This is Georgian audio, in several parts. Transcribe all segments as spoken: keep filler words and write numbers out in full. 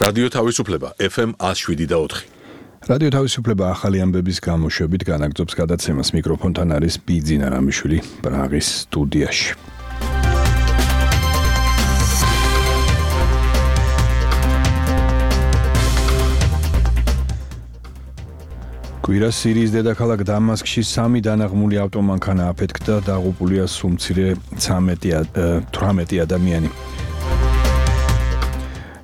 რადიო თავისუფლება ეფ ემ one oh seven და four. რადიო თავისუფლება ახალი ამბების გამოშვებით განაგრძობს გადაცემას. მიკროფონთან არის ბიძინა რამიშვილი პრაღის სტუდიაში. კვირას სირიის დედაქალაქ დამასკში სამი დანაღმული ავტომანქანა აფეთქდა, დაღუპულია სულ თვრამეტი ადამიანი.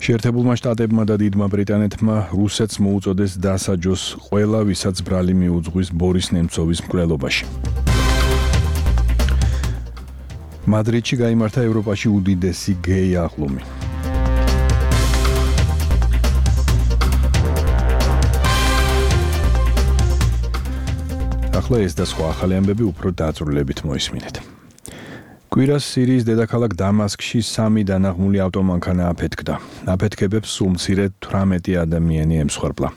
შეერთებულმა შტატებმა და დიდმა ბრიტანეთმა რუსეთს მოუწოდეს დასაჯოს ყველა, ვისაც ბრალი მიუძღვის ბორის ნემცოვის მკვლელობაში. მადრიდში გაიმართა ევროპაში უდიდესი გეი აღლუმი. ახლა ეს და სხვა ახალი ამბები უფრო დაწვრილებით მოისმინეთ. კვირას სირიის დედაქალაქ დამასკში სამი დანაღმული ავტომანქანა აფეთქდა. აფეთქებებს სულ მცირე თვრამეტი ადამიანი ემსხვერპლა.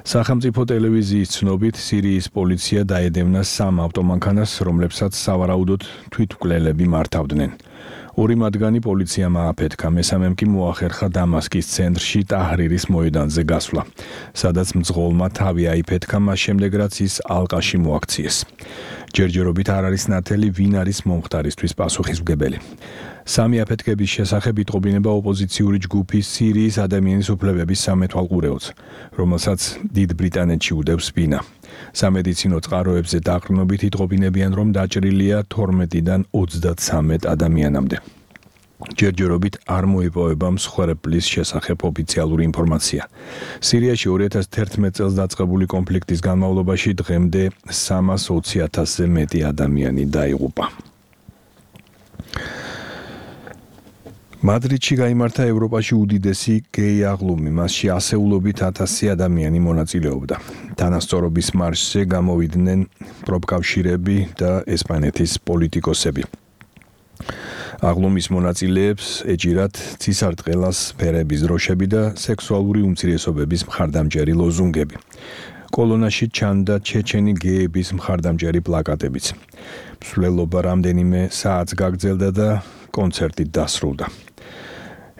სახელმწიფო ტელევიზიის ცნობით, სირიის პოლიცია დაედევნა სამ ავტომანქანას, რომლებსაც სავარაუდოდ თვითმკვლელები მართავდნენ. ორი მათგანი პოლიციამ ააფეთქა, მესამემ კი მოახერხა დამასკის ცენტრში ტაჰრირის მოედანზე გასვლა, სადაც მძღოლმა თავი აიფეთქა, მას შემდეგ რაც ის ალყაში მოაქციეს. ჯერჯერობით არ არის ნათელი, ვინ არის მომხდარისთვის პასუხისმგებელი. სამი აფეთქების შესახებ იტყობინება ოპოზიციური ჯგუფი სირიის ადამიანის უფლებების სამეთვალყურეოც, რომელსაც დიდ ბრიტანეთში უდევს ბინა. სამედიცინო წყაროებზე დაყრდნობით იტყობინებიან, რომ დაჭრილია თორმეტიდან ოცდათსამეტ ადამიანამდე. ჯერჯერობით არ მოიპოვება მსხვერპლის შესახებ ოფიციალური ინფორმაცია. სირიაში ორი ათას თერთმეტ წელს დაწყებული კონფლიქტის განმავლობაში დღემდე სამას ოცი ათასზე მეტი ადამიანი დაიღუპა. მადრიდში გაიმართა ევროპაში უდიდესი გეი აღლუმი, მასში ასეულობით ათასი ადამიანი მონაწილეობდა. თანასწორობის მარშზე გამოვიდნენ პროფკავშირები და ესპანეთის პოლიტიკოსები. აღლუმის მონაწილეებს ეჭირათ ცისარტყელას ფერების დროშები და სექსუალური უმცირესობების მხარდამჭერი ლოზუნგები. კოლონაში ჩანდა ჩეჩენი გეების მხარდამჭერი პლაკატებიც. მსვლელობა რამდენიმე საათს გაგრძელდა და კონცერტით დასრულდა.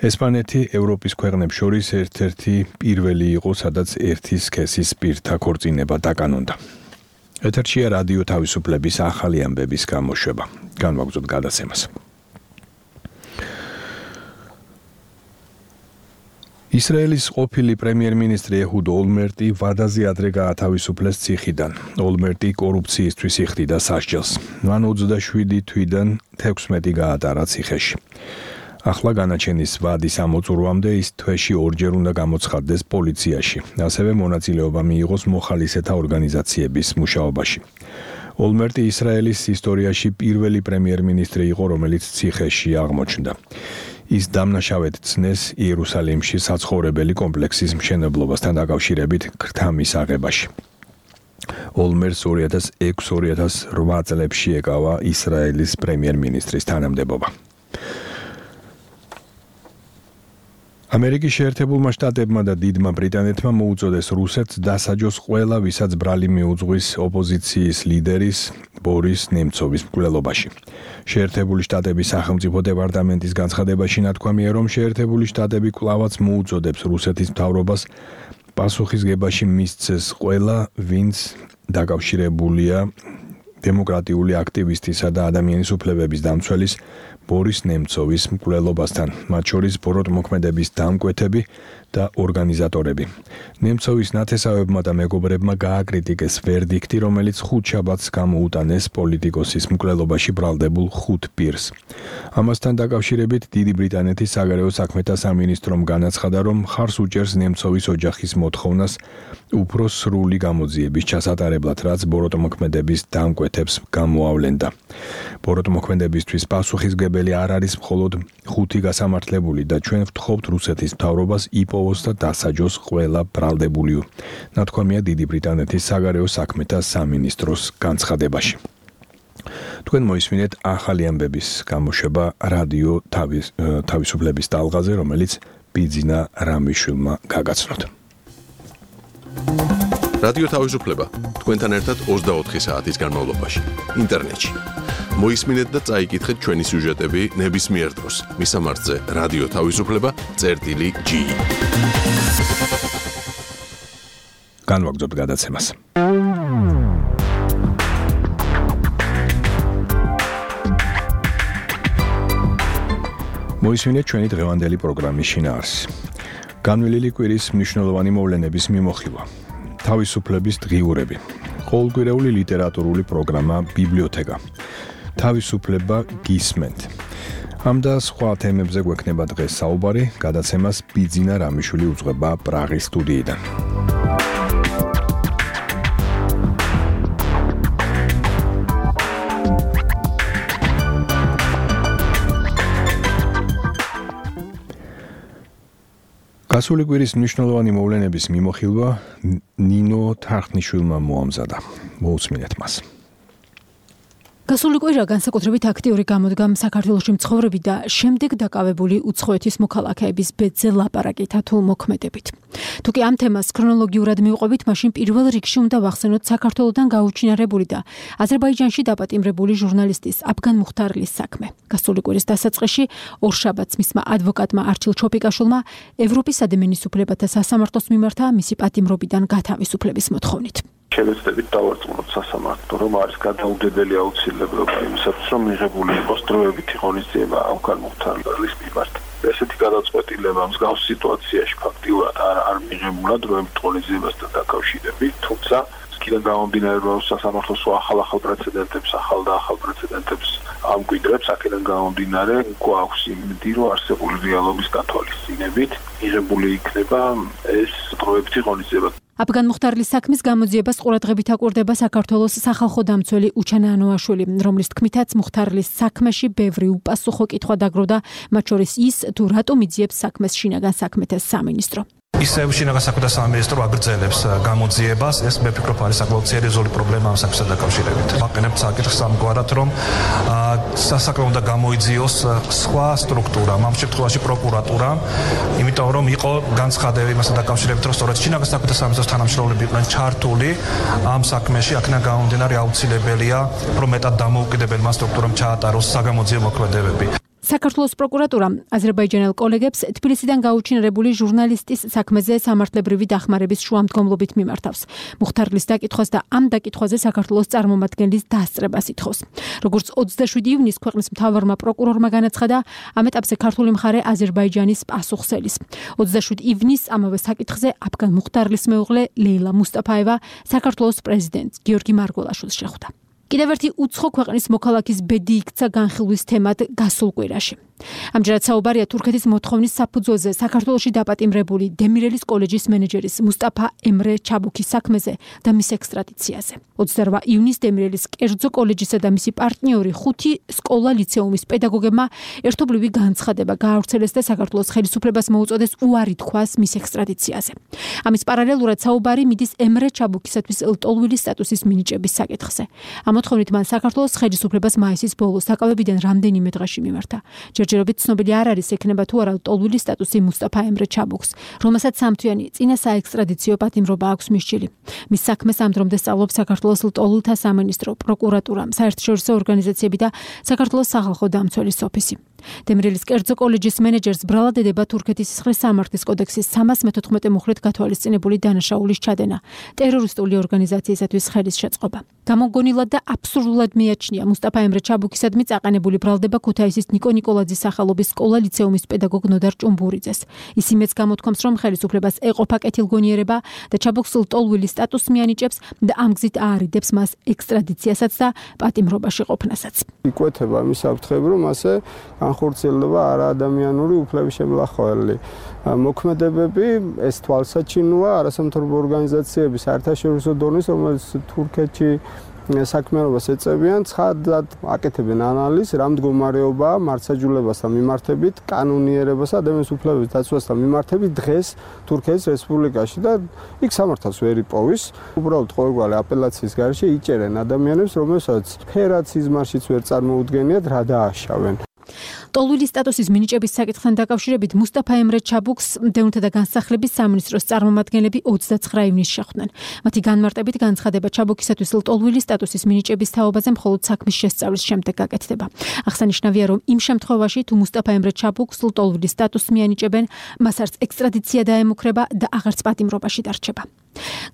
ესპანეთი ევროპის ქვეყნებს შორის ერთ-ერთი პირველი იყო, სადაც ერთი სქესის პირთა ქორწინება დაკანონდა. ეთერშია რადიო თავისუფლების ახალი ამბების გამოშვება. განვაგრძობთ გადაცემას. ისრაელის ყოფილი პრემიერ-მინისტრი ეჰუდ ოლმერტი ვადაზე ადრე გაათავისუფლეს ციხიდან. ოლმერტი კორუფციისთვის იხდიდა სასჯელს. მან ოცდაშვიდი თვიდან თექვსმეტი გაატარა ციხეში. ახლა განაჩენის ვადის ამოწურვამდე ის თვეში ორჯერ უნდა გამოცხადდეს პოლიციაში, ასევე მონაწილეობა მიიღოს მოხალისეთა ორგანიზაციების მუშაობაში. ოლმერტი ისრაელის ისტორიაში პირველი პრემიერ-მინისტრი იყო, რომელიც ციხეში აღმოჩნდა. ის დამნაშავედ ცნეს იერუსალიმში საცხოვრებელი კომპლექსის მშენებლობასთან დაკავშირებით ქრთამის აღებაში. ოლმერტს ორი ათას ექვსი ორი ათას რვა წლებში ეკავა ისრაელის პრემიერ-მინისტრის თანამდებობა. ამერიკის შეერთებულმა შტატებმა და დიდმა ბრიტანეთმა მოუწოდეს რუსეთს დასაჯოს ყველა, ვისაც ბრალი მიუძღვის ოპოზიციის ლიდერის ბორის ნემცოვის მკვლელობაში. შეერთებული შტატების სახელმწიფო დეპარტამენტის განცხადებაში ნათქვამია, რომ შეერთებული შტატები კვლავაც მოუწოდებს რუსეთის მთავრობას პასუხისგებაში მისცეს ყველა, ვინც დაკავშირებულია დემოკრატიული აქტივისტისა და ადამიანის უფლებების დამცველის ბორის ნემცოვის მკვლელობასთან, მათ შორის ბოროტმოქმედების დამკვეთები და ორგანიზატორები. ნემცოვის ნათესავებმა და მეგობრებმა გააკრიტიკეს ვერდიქტი, რომელიც ხუთშაბათს გამოუტანეს პოლიტიკოსის მკვლელობაში ბრალდებულ ხუთ პირს. ამასთან დაკავშირებით დიდი ბრიტანეთის საგარეო საქმეთა სამინისტრომ განაცხადა, რომ მხარს უჭერს ნემცოვის ოჯახის მოთხოვნას უფრო სრული გამოძიების ჩასატარებლად, რაც ბოროტმოქმედების დამკვეთებს გამოავლენდა. ბოროტმოქმედებისთვის პასუხისმგებელი არ არის მხოლოდ ხუთი გასამართლებული და ჩვენ ვთხოვთ რუსეთის მთავრობას იპოვოს და დასაჯოს ყველა ბრალდებული. ნათქვამია დიდი ბრიტანეთის საგარეო საქმეთა სამინისტროს განცხადებაში. თქვენ მოისმინეთ ახალი ამბების გამოშვება რადიო თავისუფლების ტალღაზე, რომელიც ბიძინა რამიშვილმა გაგაცნოთ. რადიო თავისუფლება თქვენთან ერთად ოცდაოთხი საათის განმავლობაში ინტერნეტში. მოისმინეთ და წაიკითხეთ ჩვენი სიუჟეტები ნებისმიერ დროს. მისამართზე რადიო თავისუფლება წერტილი ჯი. განვაგრძობთ გადაცემას. მოისმინეთ ჩვენი დღევანდელი პროგრამის შინაარსი. განვლილი კვირის მნიშვნელოვანი მოვლენების მიმოხილვა. თავისუფლების დღიურები. ყოველკვირეული ლიტერატურული პროგრამა ბიბლიოთეკა. თავისუფლება გისმენთ. ამ და სხვა თემებზე გვექნება დღეს საუბარი, გადაცემას ბიძინა რამიშვილი უძღვება პრაღის სტუდიიდან. გასული კვირის მნიშვნელოვანი მოვლენების მიმოხილვა ნინო თარხნიშვილმა მოამზადა. მოусმინეთ მას. გასული კვირა განსაკუთრებით აქტიური გამოდგა საქართველოში მცხოვრები და შემდეგ დაკავებული უცხოეთის მოქალაქეების ბედზე ლაპარაკითა თუ მოქმედებით. თუკი ამ თემას ქრონოლოგიურად მივყვებით, მაშინ პირველ რიგში უნდა ვახსენოთ საქართველოდან გაუჩინარებული და აზერბაიჯანში დაპატიმრებული ჟურნალისტის აფგან მუხთარლის საქმე. გასული კვირის დასაწყისში ორშაბათს მისმა ადვოკატმა არჩილ ჩოპიკაშვილმა ევროპის ადამიანის უფლებათა სასამართლოს მიმართა მისი პატიმრობიდან გათავისუფლების მოთხოვნით. შევეცდებით დავარწმუნოთ სასამართლო, რომ არის გადაუდებელი აუცილებლობა იმისათვის, რომ მიღებული იყოს დროებითი ღონისძიება აფგან მუხთარლის მიმართ. ესეთი გადაწყვეტილება მსგავს სიტუაციაში ფაქტიურად არ არ მიღებულა დროებით ღონისძიებასთან დაკავშირებით, თუმცა იქიდან გამომდინარე, რომ სასამართლოს ახალ-ახალ პრეცედენტებს, ახალ და ახალ პრეცედენტებს ამკვიდრებს, აქედან გამომდინარე, გვაქვს იმედი, რომ არსებული რეალობის გათვალისწინებით მიღებული იქნება ეს დროებითი ღონისძიება. აფგან მუხთარლის საქმის გამოძიებას ყურადღებით აკვირდება საქართველოს სახალხო დამცველი უჩანა ანოაშვილი, რომლის თქმითაც მუხთარლის საქმეში ბევრი უპასუხო კითხვა დაგროვდა, მათ შორის ის, თუ რატომ იძიებს საქმეს შინაგან საქმეთა სამინისტრო. ისევ შინაგან საქმეთა სამინისტრო აგრძელებს გამოძიებას, ეს მე ფიქრობ არის საკმაოდ სერიოზული პრობლემა ამ საქმესთან დაკავშირებით. ვაყენებთ საკითხს ამგვარად, რომ სასაქმე უნდა გამოიძიოს სხვა სტრუქტურა, ამ შემთხვევაში პროკურატურა, იმიტომ რომ იყო განცხადები მასთან დაკავშირებით, რომ სწორედ შინაგან საქმეთა სამინისტროს თანამშრომლები იყვნენ ჩართული ამ საქმეში, აქედან გამომდინარე აუცილებელია, რომ მეტად დამოუკიდებელმა სტრუქტურამ ჩაატაროს საგამოძიებო მოქმედებები. საქართველოს პროკურატურა აზერბაიჯანელ კოლეგებს თბილისიდან გაუჩინარებული ჟურნალისტის საქმეზე სამართლებრივი დახმარების შუამდგომლობით მიმართავს. მუხთარლის დაკითხვას და ამ დაკითხვაზე საქართველოს წარმომადგენლის დასწრებას ითხოვს. როგორც ოცდაშვიდი ივნის ქვეყნის მთავარმა პროკურორმა განაცხადა, ამ ეტაპზე ქართული მხარე აზერბაიჯანის პასუხსელის. ოცდაშვიდი ივნის ამავე საკითხზე აფგან მუხთარლის მეუღლე ლეილა მუსტაფაევა საქართველოს პრეზიდენტ გიორგი მარგველაშვილს შეხვდა. კიდევ ერთი უცხო ქვეყნის მოქალაქის ბედი იქცა განხილვის თემად გასულ კვირაში. ამჯერად საუბარია თურქეთის მოთხოვნის საფუძველზე საქართველოში დაპატიმრებული დემირელის კოლეჯის მენეჯერის მუსტაფა ემრე ჩაბუქის საქმეზე და მის ექსტრადიციაზე. ოცდარვა ივნის დემირელის კერძო კოლეჯისა და მისი პარტნიორი ხუთი სკოლა ლიცეუმის პედაგოგებმა ერთობლივი განცხადება გაავრცელეს და საქართველოს ხელისუფლებას მოუწოდეს უარი თქვას მის ექსტრადიციაზე. ამის პარალელურად საუბარი მიდის ემრე ჩაბუქისათვის ლტოლვილი სტატუსის მინიჭების საკითხზე. ამ მოთხოვნით მან საქართველოს ხელისუფლებას მაისის ბოლოს საკავებიდან რამდენიმე დღეში მიმართა. ჯერჯერობით ცნობილი არ არის ექნება თუ არა ლტოლვილი სტატუსი მუსტაფა ემრე ჩაბუქს, რომელსაც სამთვიანი წინა საექსტრადიციო პატიმრობა აქვს მისჭილი. მის საქმეს ამ დრომდე სწავლობს საქართველოს ლტოლვილთა სამინისტრო, პროკურატურა, საერთაშორისო ორგანიზაციები და საქართველოს სახალხო დამცველის ოფისი. დემირელის კერძო კოლეჯის მენეჯერს ბრალად ედება თურქეთის სისხლის სამართლის კოდექსის სამას მეთოთხმეტე მუხლით გათვალისწინებული დანაშაულის ჩადენა, ტერორისტული ორგანიზაციისათვის ხელის შეწყობა. გამოგონილად და აბსურდულად მიაჩნია მუსტაფა ემრე ჩაბუქისადმი წაყენებული ბრალდება ქუთაისის ნიკო ნიკოლაძის სახელობის სკოლა ლიცეუმის პედაგოგ ნოდარ ჭუმბურიძეს. ის იმეც გამოთქვამს, რომ ხელისუფლებას ეყოფა კეთილგონიერება და ჩაბუქს ლტოლვილი სტატუსს მიანიჭებს და ამ გზით აარიდებს მას ექსტრადიციასაც და პატიმრობაში ყოფნასაც. იკვეთება იმის საფრთხები, რომ ასე განხორციელდება არაადამიანური უფლების შემლახველი მოქმედებები, ეს თვალსაჩინოა არასამთავრობო ორგანიზაციების საერთაშორისო დონის, რომელიც თურქეთში საქმიანობას ეწევიან, ცხადად აკეთებენ ანალიზს, რა მდგომარეობაა მართლმსაჯულებასთან მიმართებით, კანონიერებასა და ადამიანის უფლებების დაცვასთან მიმართებით დღეს თურქეთის რესპუბლიკაში და იქ სამართალს ვერ იპოვის. უბრალოდ ყოველგვარი აპელაციის გარეშე იჭერენ ადამიანებს, რომელსაც ფერად სიზმარშიც ვერ წარმოუდგენიათ, რა დააშავენ. ლტოლვილი სტატუსის მინიჭების საკითხთან დაკავშირებით მუსტაფა ემრე ჩაბუქს მდევნთა და განსახლების სამინისტროს წარმომადგენლები ოცდაცხრა ივნისს შეხვდნენ. მათი განმარტებით განცხადება ჩაბუქისათვის ლტოლვილი სტატუსის მინიჭების თაობაზე მხოლოდ საქმის შესწავლის შემდეგ გაკეთდება. აღსანიშნავია, რომ იმ შემთხვევაში, თუ მუსტაფა ემრე ჩაბუქს ლტოლვილი სტატუსს მიანიჭებენ, მას არც ექსტრადიცია დაემუქრება და აღარც პატიმრობაში დარჩება.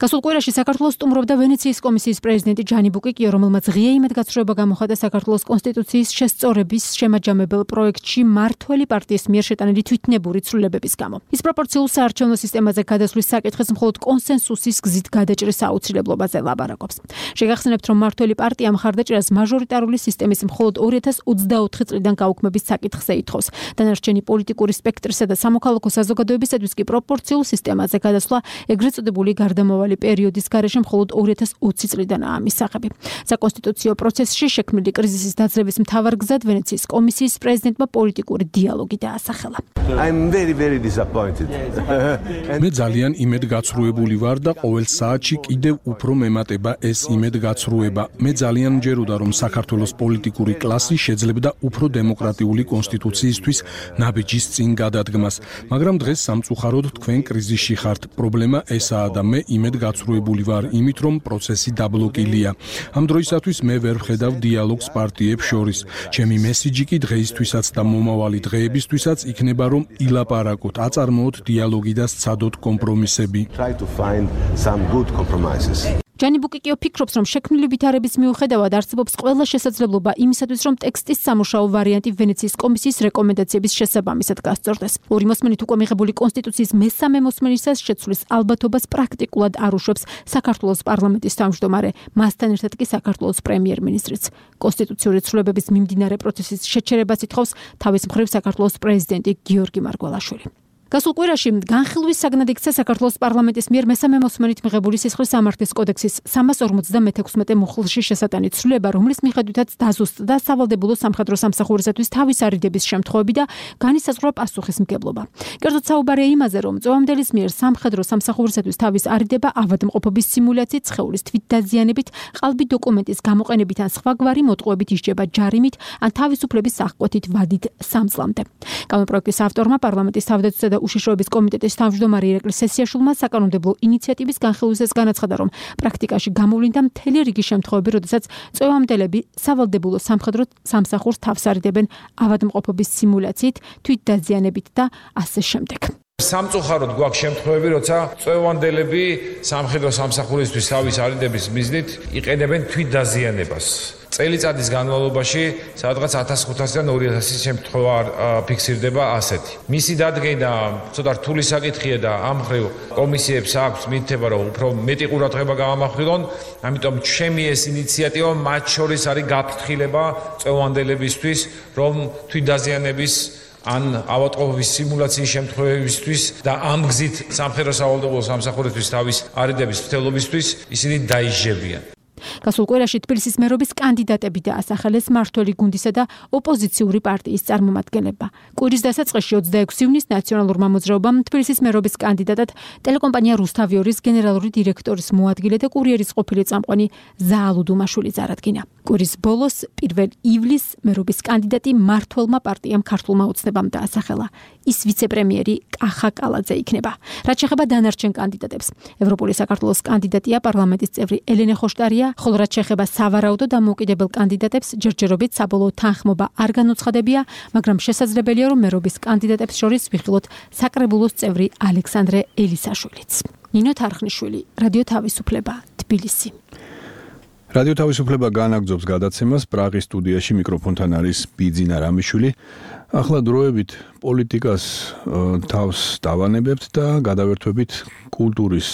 გასულ კვირაში საქართველოს სტუმრობდა ვენეციის კომისიის პრეზიდენტი ჯანი ბუკიკიო, რომელმაც ღია იმედგაცრუება გამოხატა საქართველოს კონსტიტუციის შესწორების შემაჯამებელ პროექტში მართველი პარტიის მიერ შეტანილი თვითნებური ცვლილებების გამო. ის პროპორციულ საარჩევნო სისტემაზე გადასვლის საკითხის მხოლოდ კონსენსუსის გზით გადაჭრის აუცილებლობაზე ლაბარაკობს. შეგახსენებთ, რომ მართველი პარტია მხარდაჭერას მაჟორიტარული სისტემის მხოლოდ ორი ათას ოცდაოთხი წლიდან გაუქმების საკითხზე ითხოვს. დანარჩენი პოლიტიკური სპექტრისა და სამოქალაქო საზოგადოებისათვის კი პროპორციულ სისტემაზე გადასვლა ეგრეთ წოდებული გარდამავალი პერიოდის გარეშე მხოლოდ ორი ათას ოცი წლიდანაა მისაღები. საკონსტიტუციო პროცესში შექმნილი კრიზისის დაძლევის მთავარ გზად ვენეციის კომისიის პრეზიდენტმა პოლიტიკური დიალოგი დაასახელა. მე ძალიან იმედგაცრუებული ვარ და ყოველ საათში კიდევ უფრო მემატება ეს იმედგაცრუება. მე ძალიან მჯეროდა, რომ საქართველოს პოლიტიკური კლასი შეძლებდა უფრო დემოკრატიული კონსტიტუციისთვის ნაბიჯის წინ გადადგმას, მაგრამ დღეს სამწუხაროდ თქვენ კრიზისში ხართ. პრობლემა ესაა და მე იმედგაცრუებული ვარ იმით, რომ პროცესი დაბლოკილია. ამ დროისათვის მე ვერ ვხედავ დიალოგს პარტიებს შორის. ჩემი მესიჯი კი დღეისთვისაც და მომავალი დღეებისთვისაც იქნება, რომ ილაპარაკოთ, აწარმოოთ დიალოგი და სცადოთ კომპრომისები. ჯანი ბუკიკიო ფიქრობს, რომ შექმნილი ვითარების მიუხედავად არსებობს ყველა შესაძლებლობა იმისათვის, რომ ტექსტის სამუშაო ვარიანტი ვენეციის კომისიის რეკომენდაციების შესაბამისად გასწორდეს. ორი მოსმენით უკვე მიღებული კონსტიტუციის მესამე მოსმენისას შეცვლის ალბათობას პრაქტიკულად არ უშვებს საქართველოს პარლამენტის თავმჯდომარე, მასთან ერთად კი საქართველოს პრემიერ-მინისტრიც. კონსტიტუციური ცვლილებების მიმდინარე პროცესის შეჩერებას ითხოვს თავის მხრივ საქართველოს პრეზიდენტი გიორგი მარგველაშვილი. გასულ კვირაში განხილვის საგნად იქცა საქართველოს პარლამენტის მიერ მესამე მოსმენით მიღებული სისხლის სამართლის კოდექსის სამას ორმოცდამეთექვსმეტე მუხლში შესატანი ცვლილება, რომლის მიხედვითაც დაზუსტდა სავალდებულო სამხედრო სამსახურისათვის თავის არიდების შემთხვევები და განისაზღვრა პასუხისმგებლობა. კერძოდ საუბარია იმაზე, რომ წვევამდელის მიერ სამხედრო სამსახურისათვის თავის არიდება ავადმყოფობის სიმულაციით, სხეულის თვითდაზიანებით, ყალბი დოკუმენტის გამოყენებით ან სხვაგვარი მოტყუებით ისჯება ჯარიმით ან თავისუფლების აღკვეთით ვადით სამ წლამდე. კანონპროექტის ავტორმა პარლამენტის თავდაცვისა და უშიშროების კომიტეტის თავმჯდომარე ირაკლი სესიაშვილმა საკანონმდებლო ინიციატივის განხილვისას განაცხადა, რომ პრაქტიკაში გამოვლინდა მთელი რიგი შემთხვევები, როდესაც წვევამდელები სავალდებულო სამხედრო სამსახურს თავს არიდებენ ავადმყოფობის სიმულაციით, თვითდაზიანებით და ასე შემდეგ. სამწუხაროდ გვაქვს შემთხვევები, როცა წვევამდელები სამხედრო სამსახურისთვის თავის არიდების მიზნით იყენებენ თვითდაზიანებას. წელიწადის განმავლობაში სადღაც ათას ხუთასიდან ორი ათასის შემთხვევა ფიქსირდება ასეთი. მისი დადგენა ცოტა რთული საკითხია და ამ მხრივ კომისიებს აქვს მითითება, რომ უფრო მეტი ყურადღება გაამახვილონ, ამიტომ ჩემი ეს ინიციატივა მათ შორის არის გაფრთხილება წვევანდებისთვის, რომ თვითდაზიანების ან ავადმყოფობის სიმულაციის შემთხვევებისთვის და ამ გზით სამხედრო სავალდებულო სამსახურისთვის თავის არიდების მცდელობისთვის ისინი დაიჟებიან. გასულ კვირაში თბილისის მერობის კანდიდატები დაასახელეს მართველი გუნდისა და ოპოზიციური პარტიის წარმომადგენლებმა. კვირის დასაწყისში ოცდაექვსი ივნისს ნაციონალურმა მოძრაობამ თბილისის მერობის კანდიდატად ტელეკომპანია რუსთავიორის გენერალური დირექტორის მოადგილე და კურიერის ყოფილი წამყვანი ზაალუ დუმაშვილი წარადგინა. კვირის ბოლოს პირველ ივლისს მერობის კანდიდატი მართველმა პარტიამ ქართულმა ოცნებამ დაასახელა. ის ვიცე-პრემიერი კახა კალაძე იქნება. რაც შეეხება დანარჩენ კანდიდატებს, ევროპული საქართველოს კანდიდატია პარლამენტის წევრი ელენე ხოშტარია, ხოლო რაც შეეხება სავარაუდო დამოუკიდებელ კანდიდატებს, ჯერჯერობით საბოლოო თანხმობა არ განუცხადებია, მაგრამ შესაძლებელია, რომ მერობის კანდიდატებს შორის ვიხილოთ საკრებულოს წევრი ალექსანდრე ელისაშვილიც. ნინო თარხნიშვილი, რადიო თავისუფლება, თბილისი. რადიო თავისუფლება განაგრძობს გადაცემას პრაღის სტუდიაში მიკროფონთან არის ბიძინა რამიშვილი. ახლა დროებით პოლიტიკას თავს დავანებებთ და გადავერთვებით კულტურის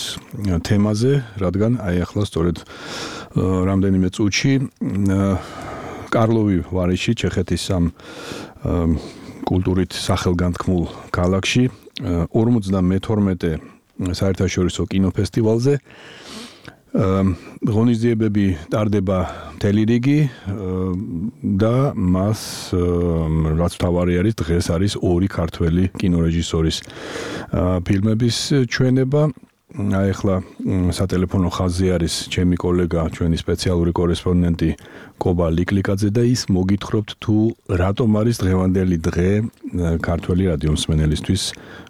თემაზე, რადგან აი ახლა სწორედ რამდენიმე წუთში კარლოვი ვარიში, ჩეხეთის ამ კულტურით სახელგანთქმულ ქალაქში ორმოცდამეთორმეტე საერთაშორისო კინოფესტივალზე ღონისძიებები ტარდება მთელი რიგი და მას რაც თავარი არის დღეს არის ორი ქართველი კინორეჟისორის ფილმების ჩვენება. აი ახლა სატელეფონო ხაზზე არის ჩემი კოლეგა, ჩვენი სპეციალური კორესპონდენტი კობა ლიკლიკაძე და ის მოგითხრობთ თუ რატომ არის დღევანდელი დღე ქართველი რადიო მსმენელისთვის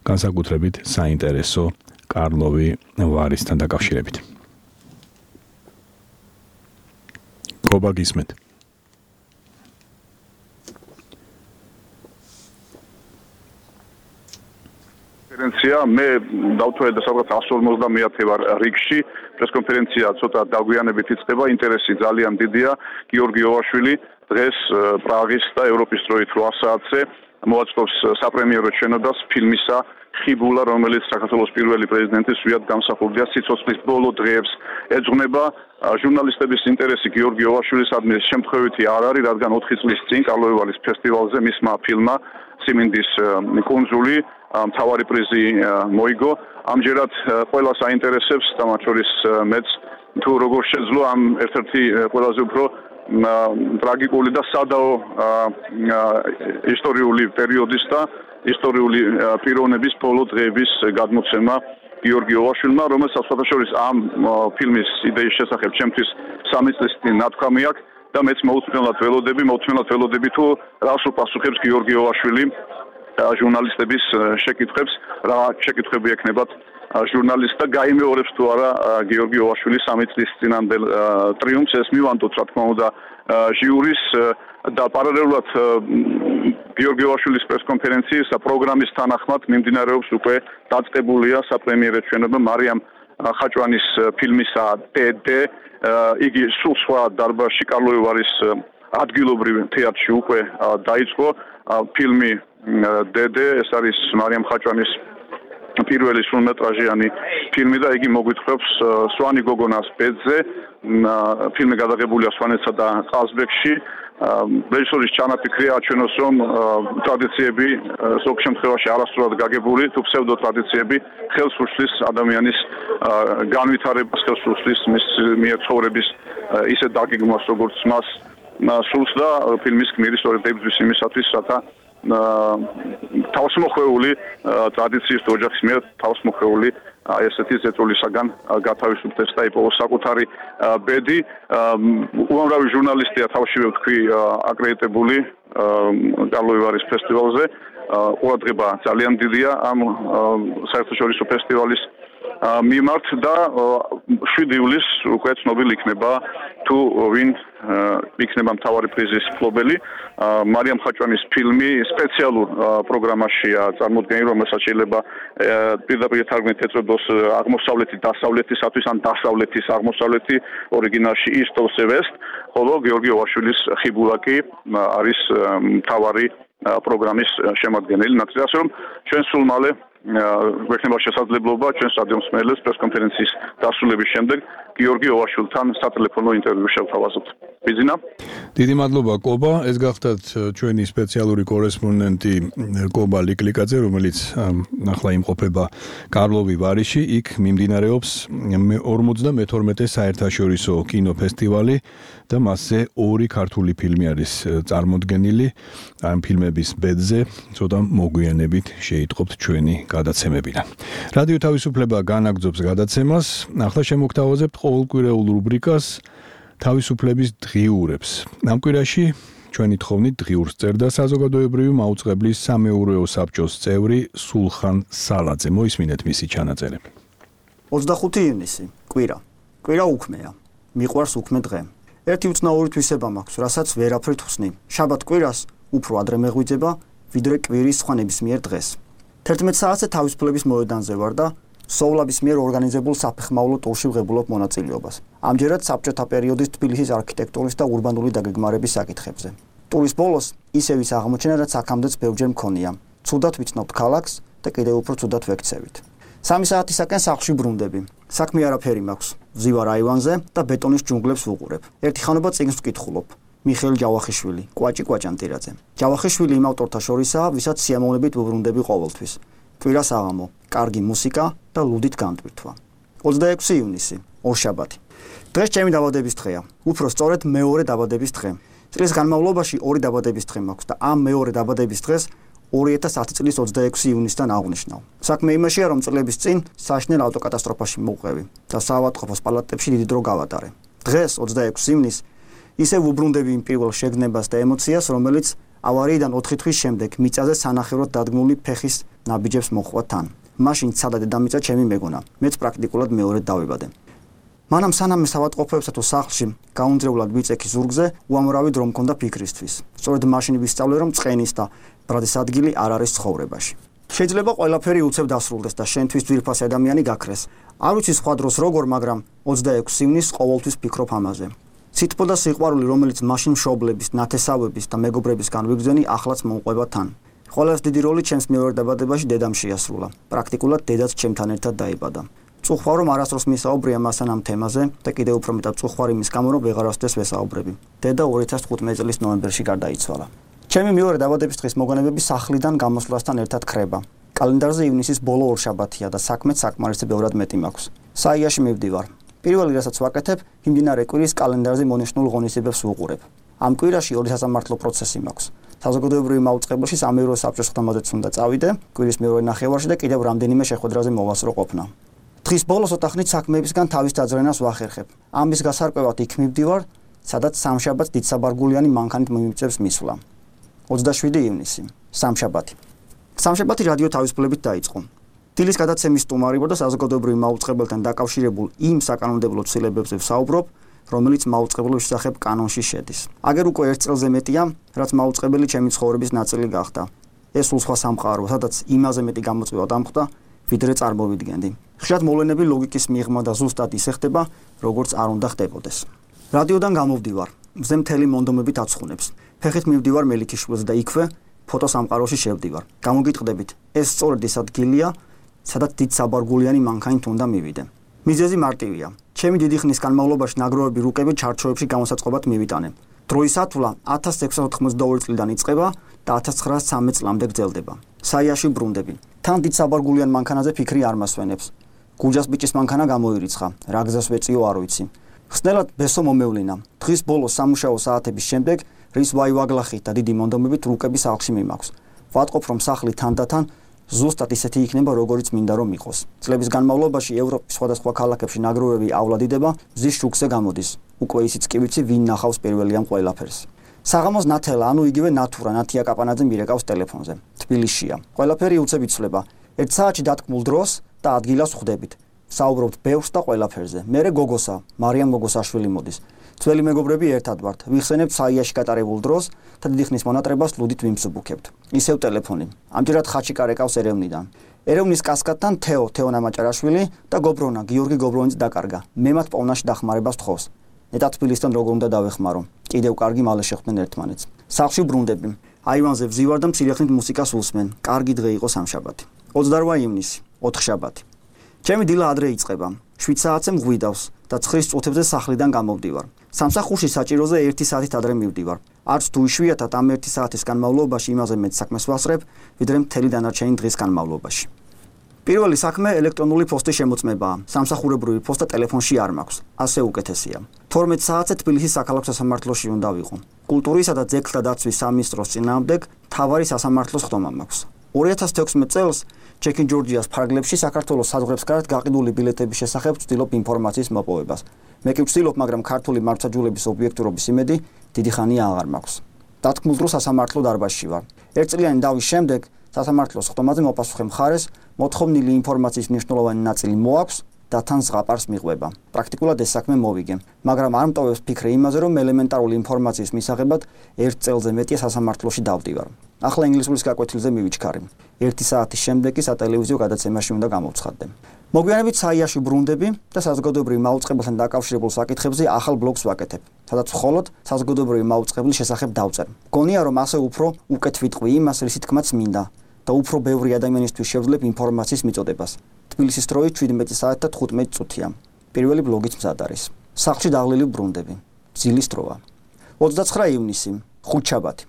განსაკუთრებით საინტერესო კარლოვი ვარისთან დაკავშირებით. კობა გისმენთ. კონფერენცია მე დავთვალე და სადღაც εκατს ორმოცდამეათე ვარ რიგში პრესკონფერენცია ცოტა დაგვიანებით იწყება ინტერესი ძალიან დიდია გიორგი ოვაშვილი დღეს პრაღის და ევროპის დროით რვა საათზე მოაწყობს საპრემიერო შენობას ფილმისა ხიბულა რომელიც საქართველოს პირველი პრეზიდენტის ვიად გამსახურდია სიცოცხლის ბოლო დღეებს ეძღვნება ჟურნალისტების ინტერესი გიორგი ოვაშვილისადმი შემთხვევითი არ არის რადგან ოთხი წლის წინ კარლოვი ვარის ფესტივალზე მისმა ფილმმა სიმინდის კუნძული მთავარი პრიზი მოიგო ამჯერად ყველას აინტერესებს და მათ შორის მეც თუ როგორ შეძლო ამ ერთ-ერთი ყველაზე უფრო ტრაგიკული და სადაო ისტორიული პერიოდის და ისტორიული პიროვნების ბოლო დღეების გადმოცემა გიორგი ოვაშვილმა რომელსაც სხვადასხვა ამ ფილმის იდეის შესახებ ჩემთვის სამი წლის წინ ნათქვამი აქვს და მეც მოუთმენლად ველოდები მოუთმენლად ველოდები თუ რას უპასუხებს გიორგი ოვაშვილი ჟურნალისტების შეკითხვებს რა შეკითხვები ექნებათ ჟურნალისტ და გაიმეორებს თუ არა გიორგი ოვაშვილის სამი წლის წინანდელ ტრიუმფს ეს მივანდოთ რა თქმა უნდა ჟიურის და პარალელურად გიორგი ოვაშვილის პრესკონფერენციის პროგრამის თანახმად მიმდინარეობს უკვე დაწყებულია საპრემიერო შენობა მარიამ ხაჭვანის ფილმისა დედე იგი სულ სხვა დარბაზში კარლოვი ვარის ადგილობრივ თეატრში უკვე დაიწყო ფილმი დედე ეს არის მარიამ ხაჭვანის პირველი სრულმეტრაჟიანი ფილმი და იგი მოგვითხრობს სვანი გოგონას ბედზე ფილმი გადაღებულია სვანეთსა და ყაზბეგში რეჟისორის ჩანაფიქრია აჩვენოს რომ ტრადიციები ზოგ შემთხვევაში არასწორად გაგებული თუ ფსევდო ტრადიციები ხელს უშლის ადამიანის განვითარებას ხელს უშლის მის მიერ ცხოვრების ისე დაგეგმვას როგორც მას სულს და ფილმის გმირი სწორედ ებრძვის იმისათვის რათა თავსმოხვეული ტრადიციის ოჯახის მიერ თავსმოხვეული აი ესეთი ზეწოლისაგან გათავისუფლდეს და იპოვოს საკუთარი ბედი უამრავი ჟურნალისტია თავშივე ვთქვი აკრედიტებული კარლოვი ვარის ფესტივალზე ყურადღება ძალიან დიდია ამ საერთაშორისო ფესტივალის მიმართ და შვიდი ივლისს უკვე ცნობილი იქნება თუ ვინ იქნება მთავარი პრიზის მფლობელი მარიამ ხაჭვანის ფილმი სპეციალურ პროგრამაშია წარმოდგენილი რომელსაც შეიძლება პირდაპირ თარგმნით ეწოდოს აღმოსავლეთი დასავლეთისათვის ან დასავლეთის აღმოსავლეთი ორიგინალში east of west ხოლო გიორგი ოვაშვილის ხიბულა კი არის მთავარი პროგრამის შემადგენელი ნაწილი ასე რომ ჩვენ სულ მალე გვექნება შესაძლებლობა ჩვენს რადიო მსმენელებს პრესკონფერენციის დასრულების შემდეგ გიორგი ოვაშვილთან სატელეფონო ინტერვიუ შევთავაზოთ. ბიზინა. დიდი მადლობა კობა, ეს გახდათ ჩვენი სპეციალური კორესპონდენტი კობა ლიკლიკაძე, რომელიც ახლა იმყოფება კარლოვი ვარიში, იქ მიმდინარეობს ორმოცდამეთორმეტე საერთაშორისო კინოფესტივალი და მასზე ორი ქართული ფილმი არის წარმოდგენილი. ამ ფილმების ბედზე ცოტა მოგვიანებით შეიტყობთ ჩვენი გადაცემებიდან. რადიო თავისუფლება განაგრძობს გადაცემას. ახლა შემოგთავაზებთ ყოველკვირეულ რუბრიკას თავისუფლების დღიურებს. ამ კვირაში ჩვენი თხოვნით დღიურს წერდა საზოგადოებრივი მაუწყებლის სამეურვეო საბჭოს წევრი სულხან სალაძე. მოისმინეთ მისი ჩანაწერები. ოცდახუთი ივნისი, კვირა. კვირა უქმეა. მიყვარს უქმე დღე. ერთი უცნაური თვისება მაქვს, რასაც ვერაფრით ხსნი. შაბათ კვირას უფრო ადრე მეღვიძება, ვიდრე კვირის სხვა ნებისმიერ დღეს. თერთმეტ საათზე თავისუფლების მოედანზე ვარ და სოვლაბის მიერ ორგანიზებულ საფეხმავლო ტურში ვღებულობ მონაწილეობას. ამჯერად საბჭოთა პერიოდის თბილისის არქიტექტურის და ურბანული დაგეგმარების საკითხებზე. ტურის ბოლოს ისევ ის აღმოჩნდა, რაც აქამდეც ბევრჯერ მქონია. ცუდად ვიცნობთ ქალაქს და კიდევ უფრო ცუდად ვექცევით. სამი საათისაკენ სახლში ბრუნდები. საქმე არაფერი მაქვს. ვზივარ აივანზე და ბეტონის ჯუნგლებს ვუყურებ. ერთი ხანობა წიგნს ვკითხულობ. მიხეილ ჯავახიშვილი, კვაჭი კვაჭანტირაძე. ჯავახიშვილი იმ ავტორთა შორისაა, ვისაც სიამოვნებით ვუბრუნდები ყოველთვის. კვირას აღამო, კარგი მუსიკა და ლუდით განდვირთვა. ოცდაექვსი ივნისი, ორშაბათი. დღეს ჩემი დაბადების დღეა. უფრო სწორედ მეორე დაბადების დღე. წლის განმავლობაში ორი დაბადების დღე მაქვს და ამ მეორე დაბადების დღეს ორი ათას ათი წლის ოცდაექვსი ივნისიდან აღნიშნავ. საქმე იმაშია, რომ წლების წინ საშნელ ავტოკატასტროფაში მოვყევი და საავადმყოფოს პალატებში დიდი დრო გავატარე. დღეს ოცდაექვსი ივნისს ისევ უბრუნდები იმ პირველ შეგნებას და ემოციას, რომელიც ავარიიდან ოთხი თვის შემდეგ მიწაზე სანახევროდ დადგმული ფეხის ნაბიჯებს მოხვა თან. მაშინ ცადა დედამიწა ჩემი მეგონა. მეც პრაქტიკულად მეორედ დავიბადე. მანამ სანამ საავადმყოფოებსა თუ სახლში გაუნძრევლად ვიწექი ზურგზე, უამრავი დრო მქონდა ფიქრისთვის. სწორედ მაშინ ვისწავლე, რომ წყენის და ბრადის ადგილი არ არის ცხოვრებაში. შეიძლება ყველაფერი უცებ დასრულდეს და შენთვის ძვირფასი ადამიანი გაქრეს. არ ვიცი სხვა დროს როგორ, მაგრამ ოცდაექვსი ივნისს ყოველთვის ფიქრობ ამაზე. სითბო და სიყვარული, რომელიც მაშინ მშობლების, ნათესავების და მეგობრებისგან ვიგრძენი, ახლაც მომყვება თან. ყველაზე დიდი როლი ჩემს მეორე დაბადებაში დედამ შეასრულა. პრაქტიკულად დედაც ჩემთან ერთად დაიბადა. წუხვალ რომ არასდროს მისაუბრია მასთან ამ თემაზე და კიდევ უფრო მეტად წუხვალ იმის გამო, რომ ვეღარასდროს ვესაუბრები. დედა ორი ათას თხუთმეტი წლის ნოემბერში გარდაიცვალა. ჩემი მეორე დაბადების დღის მოგონებები სახლიდან გამოსვლასთან ერთად ხრება. კალენდარზე ივნისის ბოლო ორშაბათია და საქმეც საკმარისად ბევრად მეტი მაქვს. საიაში მივდივარ. პირველი რასაც ვაკეთებ, მიმდინარე კვირის კალენდარზე მონიშნულ ღონისძიებებს ვუყურებ. ამ კვირაში ორი სასამართლო პროცესი მაქვს. საზოგადოებრივი მაუწყებელში სამეურვე საბჭოს ხდომაზეც უნდა წავიდე, კვირის მეორე ნახევარში და კიდევ რამდენიმე შეხვედრაზე მოვასწრო ყოფნა. დღის ბოლოს ოთახნით საქმეებისგან თავის დაძრენას ვახერხებ. ამის გასარკვევად იქ მივდივარ, სადაც სამშაბათს დიდსაბარგულიანი მანქანით მიმიწევს მისვლა. ოცდაშვიდი ივნისი, სამშაბათი. სამშაბათი რადიო თავისუფლებით დაიწყო. დილის გადაცემის სტუმარი ვარ და საზოგადოებრივ მაუწყებელთან დაკავშირებულ იმ საკანონმდებლო ცვლილებებზე ვსაუბრობ, რომელიც მაუწყებლობის შესახებ კანონში შედის. აგერ უკვე ერთ წელზე მეტია, რაც მაუწყებელი ჩემი ცხოვრების ნაწილი გახდა. ეს სულ სხვა სამყაროა, სადაც იმაზე მეტი გამოწვევა დამხვდა, ვიდრე წარმოვიდგენდი. ხშირად მოვლენები ლოგიკის მიღმა და ზუსტად ისე ხდება, როგორც არ უნდა ხდებოდეს. რადიოდან გამოვდივარ, მზე მთელი მონდომებით აცხუნებს. ფეხით მივდივარ მელიქიშვილზე და იქვე ფოტოსამყაროში შევდივარ. გამოგიტყდებით, ეს სწორედ ის ადგილია, სადაც დიდსაბარგულიანი მანქანით უნდა მივიდე. მიზეზი მარტივია. ჩემი დიდი ხნის განმავლობაში ნაგროვები რუკები ჩარჩოებში გამოსაწყობად მივიტანე. დროის ათვლა ათას ექვსსა ოთხმოცდაორი წლიდან იწყება და ათას ცხრაასი ცამეტ წლამდე გრძელდება. საიაში ბრუნდები. თან დიდსაბარგულიან მანქანაზე ფიქრი არ მასვენებს. გუჯას ბიჭის მანქანა გამოირიცხა. რა გზას ვეწიო არ ვიცი. ხსნელად ბესო მომევლინა. დღის ბოლოს სამუშაო საათების შემდეგ რის ვაივაგლახით და დიდი მონდომებით რუკების სახლში მიმაქვს. ვატყობ რომ სახლი თანდათან ზუსტად ისეთი იქნება, როგორიც მინდა რომ იყოს. წლების განმავლობაში ევროპის სხვადასხვა ქალაქებში ნაგროვები ავლადიდება, მზის შუქზე გამოდის. უკვე ისიც კი ვიცი, ვინ ნახავს პირველი ამ ყველაფერს. საღამოს ნათელა, ანუ იგივე ნათურა, ნათია კაპანაძე მირეკავს ტელეფონზე. თბილისშია. ყველაფერი უცებ იცვლება. ერთ საათში დათქმულ დროს და ადგილას ხვდებით. საუბრობთ ბევრს და ყველაფერზე. მერე გოგოსა, მარიამ გოგოსაშვილი მოდის. ძველი მეგობრები ერთად ვართ. ვიხსენებთ საიაში გატარებულ დროს და დიდი ხნის მონატრებას ლუდით ვიმსუბუქებთ. ისევ ტელეფონი. ამჯერად ხაჩიკა რეკავს ერევნიდან. ერევნის კასკადთან თეო, თეონა მაჭარაშვილი და გობრონა, გიორგი გობრონიც დაკარგა. მე მათ პოვნაში დახმარებას თხოვს. ნეტა თბილისთან როგორ უნდა დავეხმარო. კიდევ კარგი მალე შეხვდნენ ერთმანეთს. სახლში ბრუნდები. აივანზე ვზივარ და მცირეხნით მუსიკას უსმენ. კარგი დღე იყო სამშაბათი. ოცდარვა ივნისი, ოთხშაბათი. ჩემი დილა ადრე იწყება. შვიდ საათზე მღვიდავს და ცხრის წუთებზე სახლიდან გამოვდივარ. სამსახურში საჭიროზე ერთი საათით ადრე მივდივარ. არც თუ იშვიათად ამ ერთი საათის განმავლობაში იმაზე მეტ საქმეს ვასწრებ, ვიდრე მთელი დანარჩენი დღის განმავლობაში. პირველი საქმე ელექტრონული პოსტის შემოწმებაა. სამსახურებრივი პოსტა ტელეფონში არ მაქვს. ასე უკეთესია. თორმეტ საათზე თბილისის საქალაქო სასამართლოში უნდა ვიყო. კულტურისა და ძეგლთა დაცვის სამინისტროს წინააღმდეგ მთავარი სასამართლოს ხდომა მაქვს. ორი ათას თექვსმეტ წელს ჩეკინ ჯორჯიას ფარგლებში საქართველოს საზღვრებს გარეთ გაყიდული ბილეთების შესახებ ვცდილობ ინფორმაციის მოპოვებას. მე კი ვცდილობ, მაგრამ ქართული მართლმსაჯულების ობიექტურობის იმედი დიდი ხანია აღარ მაქვს. დათქმულ დროს სასამართლო დარბაზში ვარ. ერთწლიანი დავის შემდეგ სასამართლოს ხდომაზე მოპასუხე მხარეს მოთხოვნილი ინფორმაციის მნიშვნელოვანი ნაწილი მოაქვს და თან ზღაპარს მიყვება. პრაქტიკულად ეს საქმე მოვიგე, მაგრამ არ მტოვებს ფიქრი იმაზე, რომ ელემენტარული ინფორმაციის მისაღებად ერთ წელზე მეტია სასამართლოში დავდივარ. ახლა ინგლისურის გაკვეთილზე მივიჩქარი. ერთი საათის შემდეგ კი სატელევიზიო გადაცემაში უნდა გამოვცხადდე. მოგვიანებით საიაში ბრუნდები და საზოგადოებრივ მაუწყებელთან დაკავშირებულ საკითხებზე ახალ ბლოგს ვაკეთებ, სადაც მხოლოდ საზოგადოებრივი მაუწყებლის შესახებ დავწერ. მგონია, რომ ასე უფრო უკეთ ვიტყვი იმას, რისი თქმაც მინდა და უფრო ბევრი ადამიანისთვის შევძლებ ინფორმაციის მიწოდებას. თბილისის დროით შვიდმეტი საათი და თხუთმეტი წუთია. პირველი ბლოგიც მზად არის. სახლში დაღლილი ბრუნდები. ძილის დროა. ოცდაცხრა ივნისი, ხუთშაბათი.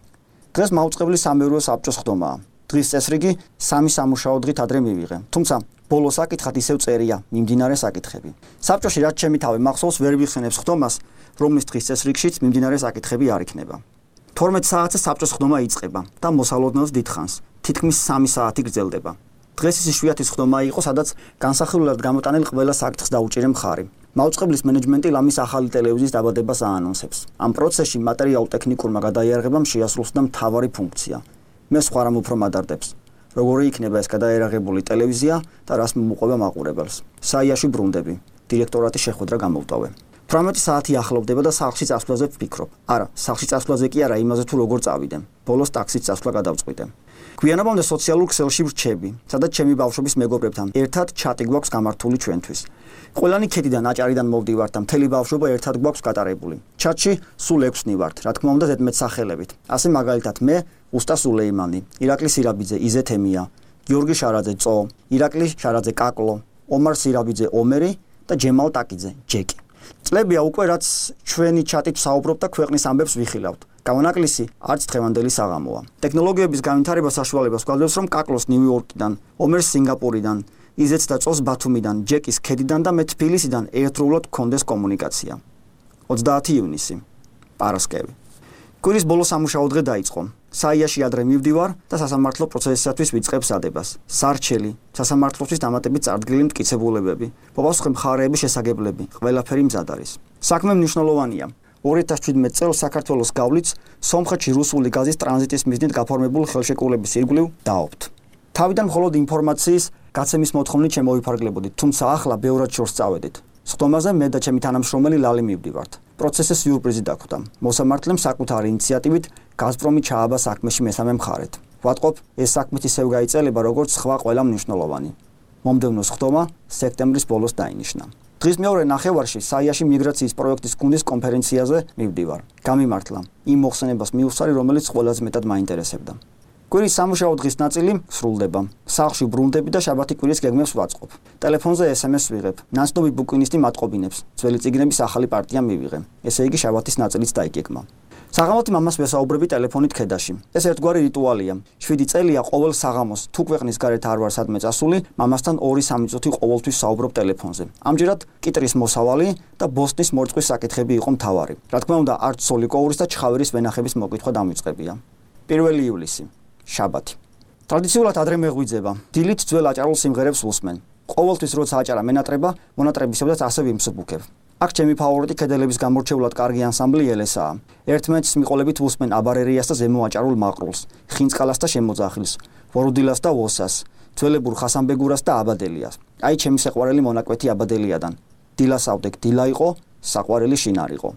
დღეს მაუწყებლის სამეურვე საბჭოს ხდომაა. დღის წესრიგი სამი სამუშაო დღით ადრე მივიღე. თუმცა ბოლო საკითხად ისევ წერია მიმდინარე საკითხები. საბჭოში რაც ჩემი თავი მახსოვს, ვერ ვიხსენებს ხდომას, რომლის დღის წესრიგშიც მიმდინარე საკითხები არ იქნება. თორმეტ საათზე საბჭოს ხდომა იწყება და მოსალოდნელს დიდხანს. თითქმის სამი საათი გრძელდება. დღეს ის იშვიათი ხდომა იყო, სადაც განსახილველად გამოტანილ ყველა საკითხს დაუჭირე მხარი. მაუწყებლის მენეჯმენტი ლამის ახალი ტელევიზიის დაბადებას აანონსებს. ამ პროცესში მატერიალურ-ტექნიკურმა გადაიარაღებამ შეასრულა მთავარი ფუნქცია. მე სხვა რამ უფრო მადარდებს. როგორი იქნება ეს გადაიარაღებული ტელევიზია და რას მოუყვება მაყურებელს. საიაში ბრუნდები. დირექტორატის შეხვედრა გამოვტოვე. თვრამეტი საათი ახლოვდება და სახლში წასვლაზე ვფიქრობ. არა, სახლში წასვლაზე კი არა, იმაზე თუ როგორ წავიდე. ბოლოს ტაქსით წასვლა გადავწყვიტე. გვიანობამდე სოციალურ ქსელში ვრჩები, სადაც ჩემი ბავშვობის მეგობრებთან ერთად ჩატი გვაქვს გამართული ჩვენთვის. ყველანი ქედიდან, აჭარიდან მოვდივართ და მთელი ბავშვობა ერთად გვაქვს გატარებული. ჩატში სულ ექვსნი ვართ, რა თქმა უნდა ზედმეტსახელებით. ასე მაგალითად მე, უსტა სულეიმანი, ირაკლი სირაბიძე, იზეთ ემია, გიორგი შარაძე, წო, ირაკლი შარაძე, კაკლო, ომარ სირაბიძე, ომერი და ჯემალ ტაკიძე, ჯეკი. წლებია უკვე რაც ჩვენი ჩატით საუბრობთ და ქვეყნის ამბებს ვიხილავთ. გამონაკლისი არც დღევანდელი საღამოა. ტექნოლოგიების განვითარება საშუალებას გვაძლევს, რომ კაკლოს ნიუ-იორკიდან, ომერს სინგაპურიდან, იზეთს და წოს ბათუმიდან, ჯეკის ქედიდან და მე თბილისიდან ერთდროულად გქონდეს კომუნიკაცია. ოცდაათი ივნისი, პარასკევი. კვირის ბოლო სამუშაო დღე დაიწყო. საიაში ადრე მივდივარ და სასამართლო პროცესისათვის ვიწყებს ადებას. სარჩელი, სასამართლოსთვის დამატებით წარდგილი მტკიცებულებები, მოპასუხე მხარეების შესაგებლები, ყველაფერი მზად არის. საქმე მნიშვნელოვანია. ორი ათას შვიდმეტ წელს საქართველოს გავლიც სომხეთში რუსული გაზის ტრანზიტის მიზნით გაფორმებულ ხელშეკრულების ირგვლივ დაობთ. თავიდან მხოლოდ ინფორმაციის გაცემის მოთხოვნით შემოვიფარგლებოდით, თუმცა ახლა ბევრად შორს წავედით. სხდომაზე მე და ჩემი თანამშრომელი ლალი მივდივართ. პროცესზე სიურპრიზი დაგვხვდა. მოსამართლემ საკუთარი ინიციატივით გაზპრომი ჩააბა საქმეში მესამე მხარედ. ვატყობ, ეს საქმით ისევ გაიწელება, როგორც სხვა ყველა მნიშვნელოვანი. მომდევნო სხდომა სექტემბრის ბოლოს დაინიშნა. დღის მეორე ნახევარში საიაში მიგრაციის პროექტის გუნდის კონფერენციაზე მივდივარ. გამიმართლა იმ მოხსენებას მივსვარი, რომელიც ყველაზე მეტად მაინტერესებდა. კვირის სამუშაო დღის ნაწილი სრულდება. სახლში ბრუნდები და შაბათი კვირის გეგმებს ვაწყობ. ტელეფონზე ეს ემ ეს ვიღებ. ნაცნობი ბუკინისტი მატყობინებს. ძველი წიგნების ახალი პარტია მივიღე. ესე იგი შაბათის ნაწილიც დაიგეგმა. საღამოთი მამას ვესაუბრები ტელეფონით ქედაში. ეს ერთგვარი რიტუალია. შვიდი წელია ყოველ საღამოს, თუ ქვეყნის გარეთ არ ვარ სადმე წასული, მამასთან ორი სამი წუთი ყოველთვის საუბრობ ტელეფონზე. ამჯერად კიტრის მოსავალი და ბოსტნის მორწყვის საკითხები იყო მთავარი. რა თქმა უნდა, არც სოლიკოვურის და ჩხავერის ვენახების მოკითხვა დამიწყებია. პირველი ივლისი, შაბათი. ტრადიციულად ადრე მეღვიძება. დილით ძველ აჭარულ სიმღერებს ვუსმენ. ყოველთვის როცა აჭარა მენატრება, მონატრებისებსაც ასე ვიმსუბუქებ. აქ ჩემი ფავორიტი ქედელების გამორჩეულად კარგი ანსამბლი ელესაა. ერთმანეთის მიყოლებით ვუსმენ აბარერიას და ზემო აჭარულ მაყრულს, ხინწყალას და შემოძახილს, ვორუდილას და ვოსას, ძველებურ ხასანბეგურას და აბადელიას. აი ჩემი საყვარელი მონაკვეთი აბადელიადან. დილასავდეკ დილა იყო, საყვარელი შინარ იყო.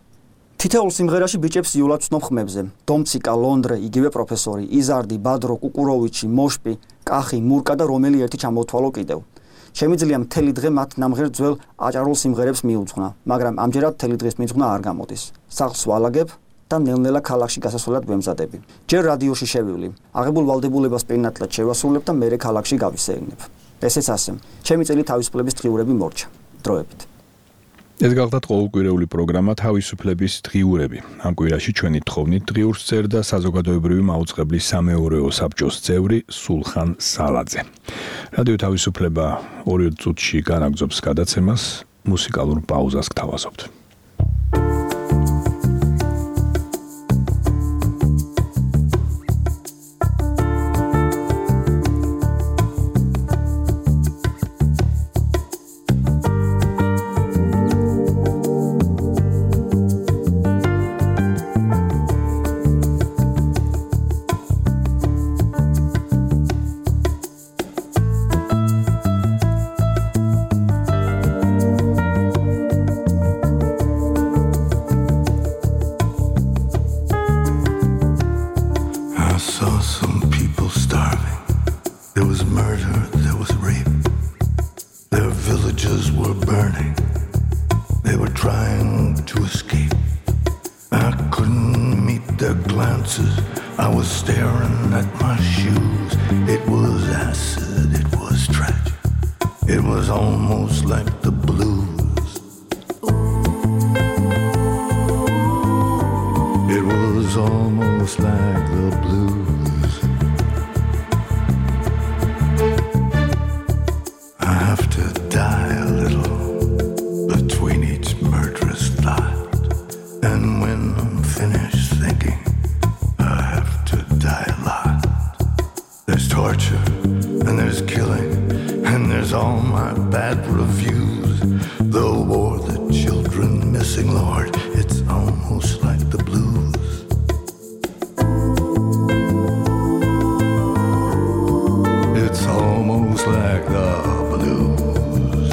თითოეულ სიმღერაში ბიჭებს იულად ვცნობ ხმებზე. დომციკა, ლონდრე, იგივე პროფესორი, იზარდი, ბადრო, კუკუროვიჩი, მოშპი, კახი, მურკა და რომელი ერთი ჩამოვთვალო კიდევ. შემიძლია მთელი დღე მათ ნამღერ ძველ აჭარულ სიმღერებს მიუძღვნა, მაგრამ ამჯერად მთელი დღის მიძღვნა არ გამოდის. სახლს ვალაგებ და ნელ-ნელა ქალაქში გასასვლელად ვემზადები. ჯერ რადიოში შევივლი, აღებულ ვალდებულებას პირნათლად შევასრულებ და მერე ქალაქში გავისეირნებ. ესეც ასე. ჩემი წელი თავისუფლების დღიურები მორჩა. დროებით. ეს გახლდათ ყოველკვირეული პროგრამა თავისუფლების დღიურები. ამ კვირაში ჩვენი თხოვნით დღიურს წერდა საზოგადოებრივი მაუწყებლის სამეურვეო საბჭოს წევრი სულხან სალაძე. რადიო თავისუფლება ორი წუთში განაგრძობს გადაცემას, მუსიკალურ პაუზას გთავაზობთ. The there's torture, and there's killing, and there's all my bad reviews. The war, the children missing, Lord, it's almost like the blues. It's almost like the blues.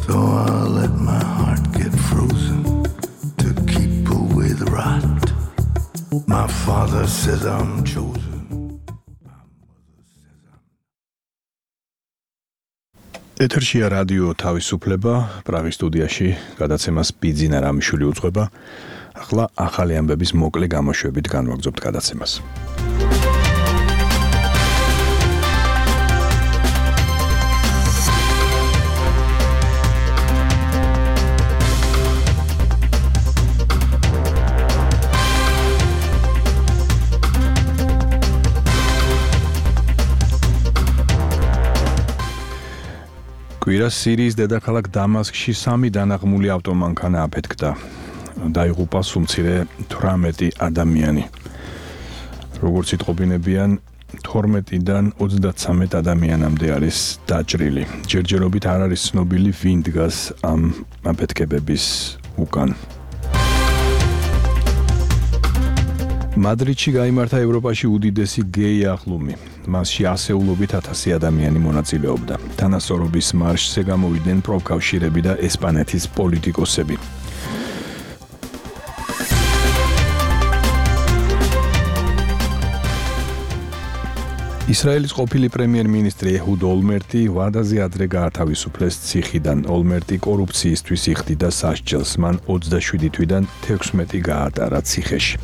So I'll let my heart get frozen to keep away the rot. My father says I'm chosen. ეთერშია რადიო თავისუფლება, პრაღის სტუდიაში გადაცემას ბიძინა რამიშვილი უძღვება. ახლა ახალი ამბების მოკლე გამოშვებით განვაგრძობთ გადაცემას. კვირას სირიის დედაქალაქ დამასკში სამი დანაღმული ავტომანქანა აფეთქდა. დაიღუპა სულ მცირე თვრამეტი ადამიანი. როგორც იტყობინებიან, თორმეტიდან ოცდათსამეტ ადამიანამდე არის დაჭრილი. ჯერჯერობით არ არის ცნობილი, ვინ დგას ამ აფეთქებების უკან. მადრიდში გაიმართა ევროპაში უდიდესი გეი აღლუმი. მასში ასეულობით ათასი ადამიანი მონაწილეობდა. თანასწორობის მარშზე გამოვიდნენ პროფკავშირები და ესპანეთის პოლიტიკოსები. ისრაელის ყოფილი პრემიერ-მინისტრი ეჰუდ ოლმერტი ვადაზე ადრე გაათავისუფლეს ციხიდან. ოლმერტი კორუფციისთვის იხდიდა სასჯელს. მან ოცდაშვიდი თვიდან თექვსმეტი გაატარა ციხეში.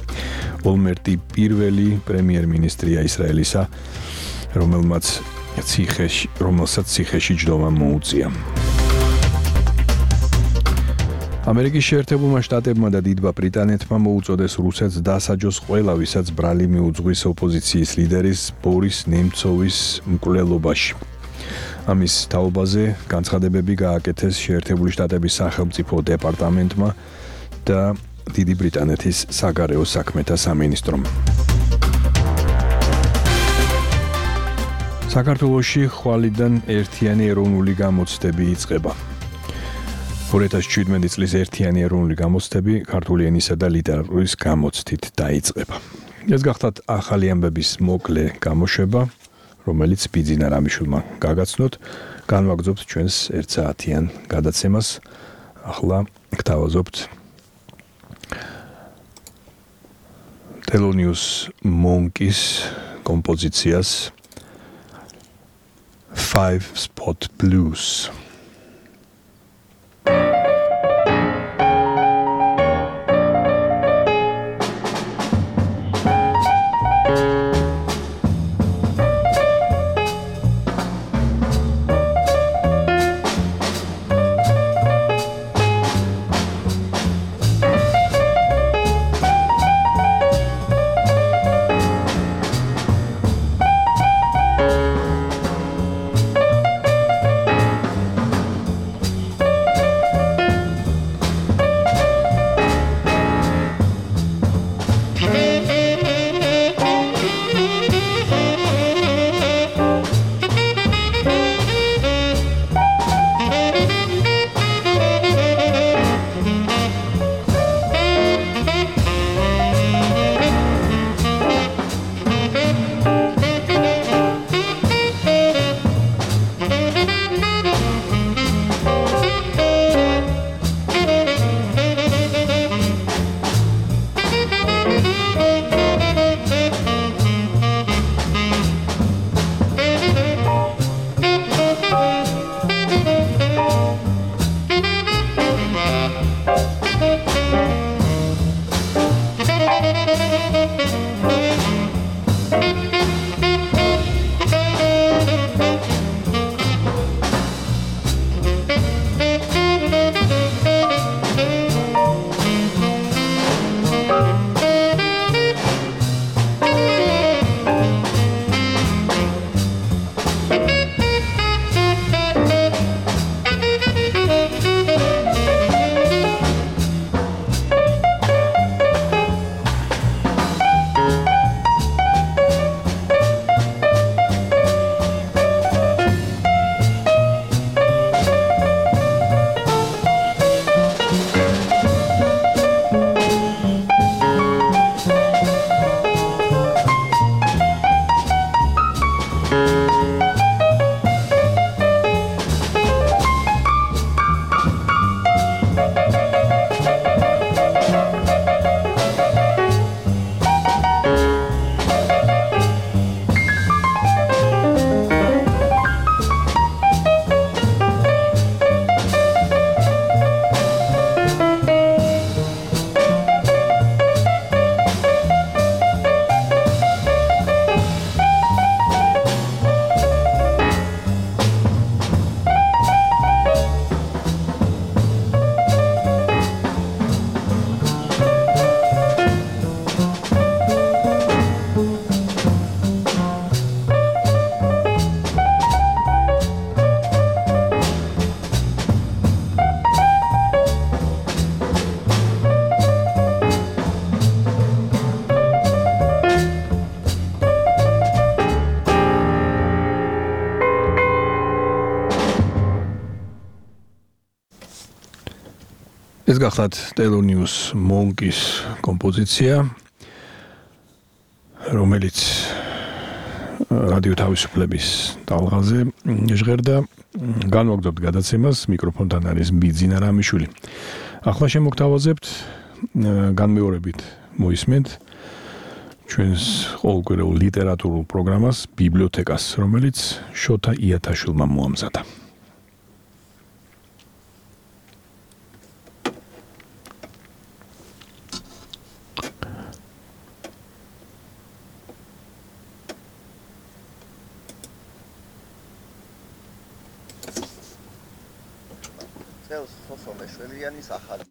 ოლმერტი პირველი პრემიერ-მინისტრია ისრაელისა, რომელმაც ციხეში, რომელსაც ციხეში ჯდომა მოუწია. ამერიკის შეერთებულმა შტატებმა და დიდმა ბრიტანეთმა მოუწოდეს რუსეთს დასაჯოს ყველა, ვისაც ბრალი მიუძღვის ოპოზიციის ლიდერის ბორის ნემცოვის მკვლელობაში. ამის თაობაზე განცხადებები გააკეთეს შეერთებული შტატების სახელმწიფო დეპარტამენტმა და დიდი ბრიტანეთის საგარეო საქმეთა სამინისტრომ. საქართველოში ხვალიდან ერთიანი ეროვნული გამოცდები იწყება. ორი ათას შვიდმეტი წლის ერთიანი ეროვნული გამოცდები ქართული ენისა და ლიტერატურის გამოცდით დაიწყება. ეს გახდათ ახალი ამბების მოკლე გამოშვება, რომელიც ბიძინა რამიშვილმა გაგაცნოთ. განვაგრძობთ ჩვენს ერთ საათიან გადაცემას. ახლა გთავაზობთ Thelonious Monk's კომპოზიციას Five Spot Blues. გახლავთ Thelonious Monk-ის კომპოზიცია, რომელიც რადიო თავისუფლების ტალღაზე ჟღერდა. განვაგრძობთ გადაცემას, მიკროფონთან არის ბიძინა რამიშვილი. ახლა შემოგთავაზებთ განმეორებით მოისმენთ ჩვენს ყოველკვირეულ ლიტერატურულ პროგრამას ბიბლიოთეკას, რომელიც შოთა იათაშვილმა მოამზადა. სოსო მეშველიანის ახალი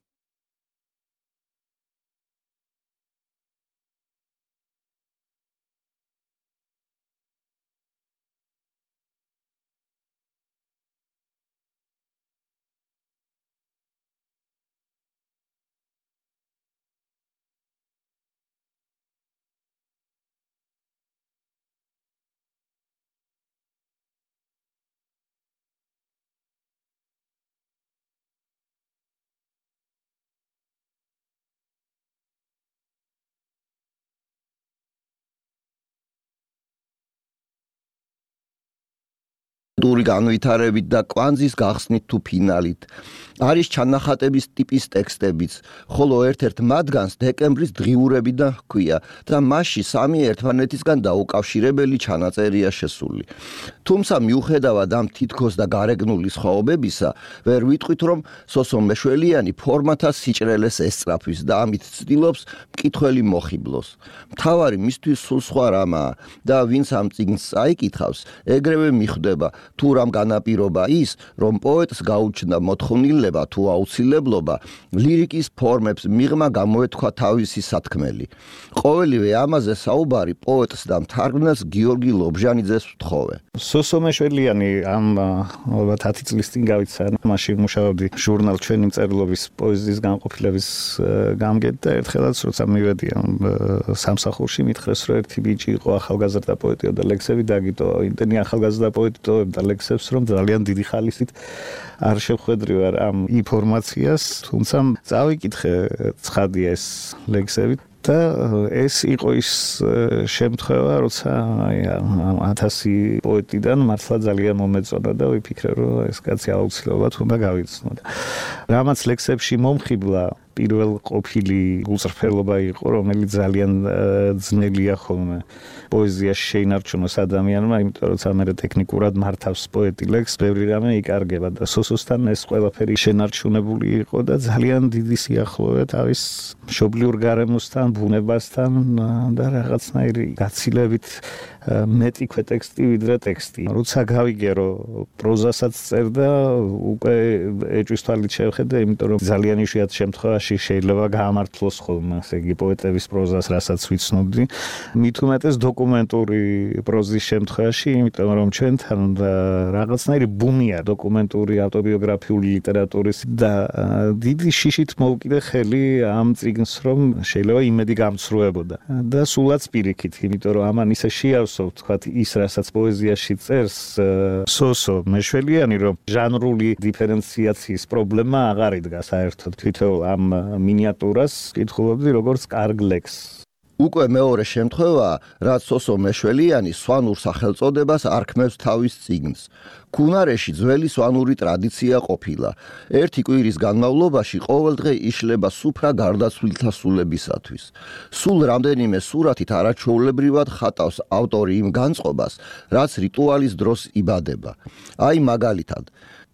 დური განვითარებით და კვანძის გახსნით თუ ფინალით. არის ჩანახატების ტიპის ტექსტებიც, ხოლო ერთ-ერთ მათგანს დეკემბრის დღიურებიდან ჰქვია და მასში სამი ერთმანეთისგან დაუკავშირებელი ჩანაწერია შესული. თუმცა მიუხედავად ამ თითქოს და გარეგნული სხვაობებისა, ვერ ვიტყვით, რომ სოსო მეშველიანი ფორმათა სიჭრელეს ესწრაფვის და ამით ცდილობს მკითხველი მოხიბლოს. მთავარი მისთვის სულ სხვა რამაა და ვინც ამ წიგნს წაიკითხავს, ეგრევე მიხვდება თუ რამ განაპირობა ის, რომ პოეტს გაუჩნდა მოთხოვნილება თუ აუცილებლობა ლირიკის ფორმებს მიღმა გამოეთქვა თავისი სათქმელი. ყოველივე ამაზე საუბარი პოეტს და მთარგმნელს გიორგი ლობჟანიძეს ვთხოვე. სოსო მეშველიანი ამ ალბათ ათი წლის წინ გავიცა, მაშინ მუშაობდი ჟურნალ ჩვენი მწერლობის პოეზიის განყოფილების გამგედ და ერთხელაც როცა მივედი ამ სამსახურში მითხრეს, რომ ერთი ბიჭი იყო ახალგაზრდა პოეტი და ლექსები დაგიტოვა. იმდენი ახალგაზრდა პოეტი და ლექსებს, რომ ძალიან დიდი ხალისით არ შევხვედრი ვარ ამ ინფორმაციას, თუმცა წავიკითხე ცხადია ეს ლექსები და ეს იყო ის შემთხვევა, როცა ათასი პოეტიდან მართლა ძალიან მომეწონა და ვიფიქრე, რომ ეს კაცი აუცილებლად უნდა გავიცნო. რამაც ლექსებში მომხიბლა პირველ ყოფილი უწრფელობა იყო, რომელიც ძალიან ძნელია ხოლმე პოეზიაში შეინარჩუნოს ადამიანმა, იმიტომ რომ ამერე ტექნიკურად მართავს პოეტი ლექსს, ბევრი რამე იკარგება და სოსოსთან ეს ყველაფერი შენარჩუნებული იყო და ძალიან დიდი სიახლოვე თავის მშობლიურ გარემოსთან, ბუნებასთან და რაღაცნაირი გაცილებით მეტი ქვეტექსტი ვიდრე ტექსტი. როცა გავიგე, რომ პროზასაც წერდა, უკვე ეჭვის თვალით შევხედე, იმიტომ რომ ძალიან იშვიათ შემთხვევაში შეიძლება გაამართლოს ხოლმე, ასე იგი პოეტების პროზას, რასაც ვიცნობდი. მით უმეტეს დოკუმენტური პროზის შემთხვევაში, იმიტომ რომ ჩვენთან რაღაცნაირი ბუმია დოკუმენტური ავტობიოგრაფიული ლიტერატურის და დიდი შიშით მოვკიდე ხელი ამ წიგნს, რომ შეიძლება იმედი გამცრუებოდა. და სულაც პირიქით, იმიტომ რომ ამან ისე შეავსო ვთქვათ ის, რასაც პოეზიაში წერს სოსო მეშველიანი, რომ ჟანრული დიფერენციაციის პრობლემა აღარ იდგა საერთოდ. თვითონ ამ მინიატურას კითხულობდი როგორც კარგ ლექსს. უკვე მეორე შემთხვევაა, რაც სოსო მეშველიანი სვანურ სახელწოდებას არქმევს თავის წიგნს. ქუნარეში ძველი სვანური ტრადიცია ყოფილა. ერთი კვირის განმავლობაში ყოველდღე იშლება სუფრა გარდაცვლილთა სულებისათვის. სულ რამდენიმე სურათით არაჩვეულებრივად ხატავს ავტორი იმ განწყობას, რაც რიტუალის დროს იბადება. აი მაგალითად,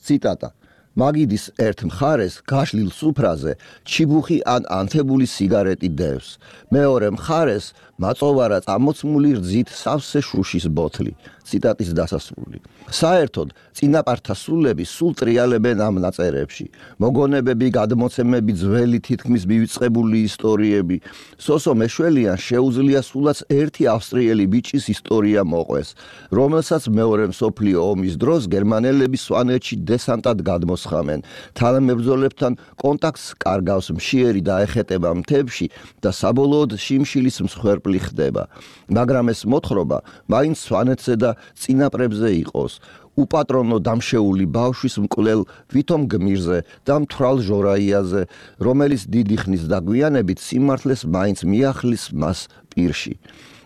ციტატა: მაგიდის ერთ მხარეს გაშლილ სუფრაზე ჩიბუხი ან ანთებული სიგარეტი დევს. მეორე მხარეს მაწოვარა წამოცმული რძით სავსე შუშის ბოთლი. ციტატის დასასრული. საერთოდ წინაპართა სულები სულ ტრიალებენ ამ ნაწერებში. მოგონებები, გადმოცემები, ძველი თითქმის მივიწყებული ისტორიები. სოსო მეშველიანს შეუძლია სულაც ერთი ავსტრიელი ბიჭის ისტორია მოყვეს, რომელსაც მეორე მსოფლიო ომის დროს გერმანელები სვანეთში დესანტად გადმოსხამენ. თანამებრძოლებთან კონტაქტს კარგავს, მშიერი დაეხეტება მთებში და საბოლოოდ შიმშილის მსხვერპლი ხდება. მაგრამ ეს მოთხრობა მაინც სვანეთზე და წინაპრებზე იყოს. უპატრონო დამშეული ბავშვის მკვლელ ვითომ გმირზე და მთვრალ ჟორაიაზე, რომელიც დიდი ხნის დაგვიანებით სიმართლეს მაინც მიახლის მას პირში.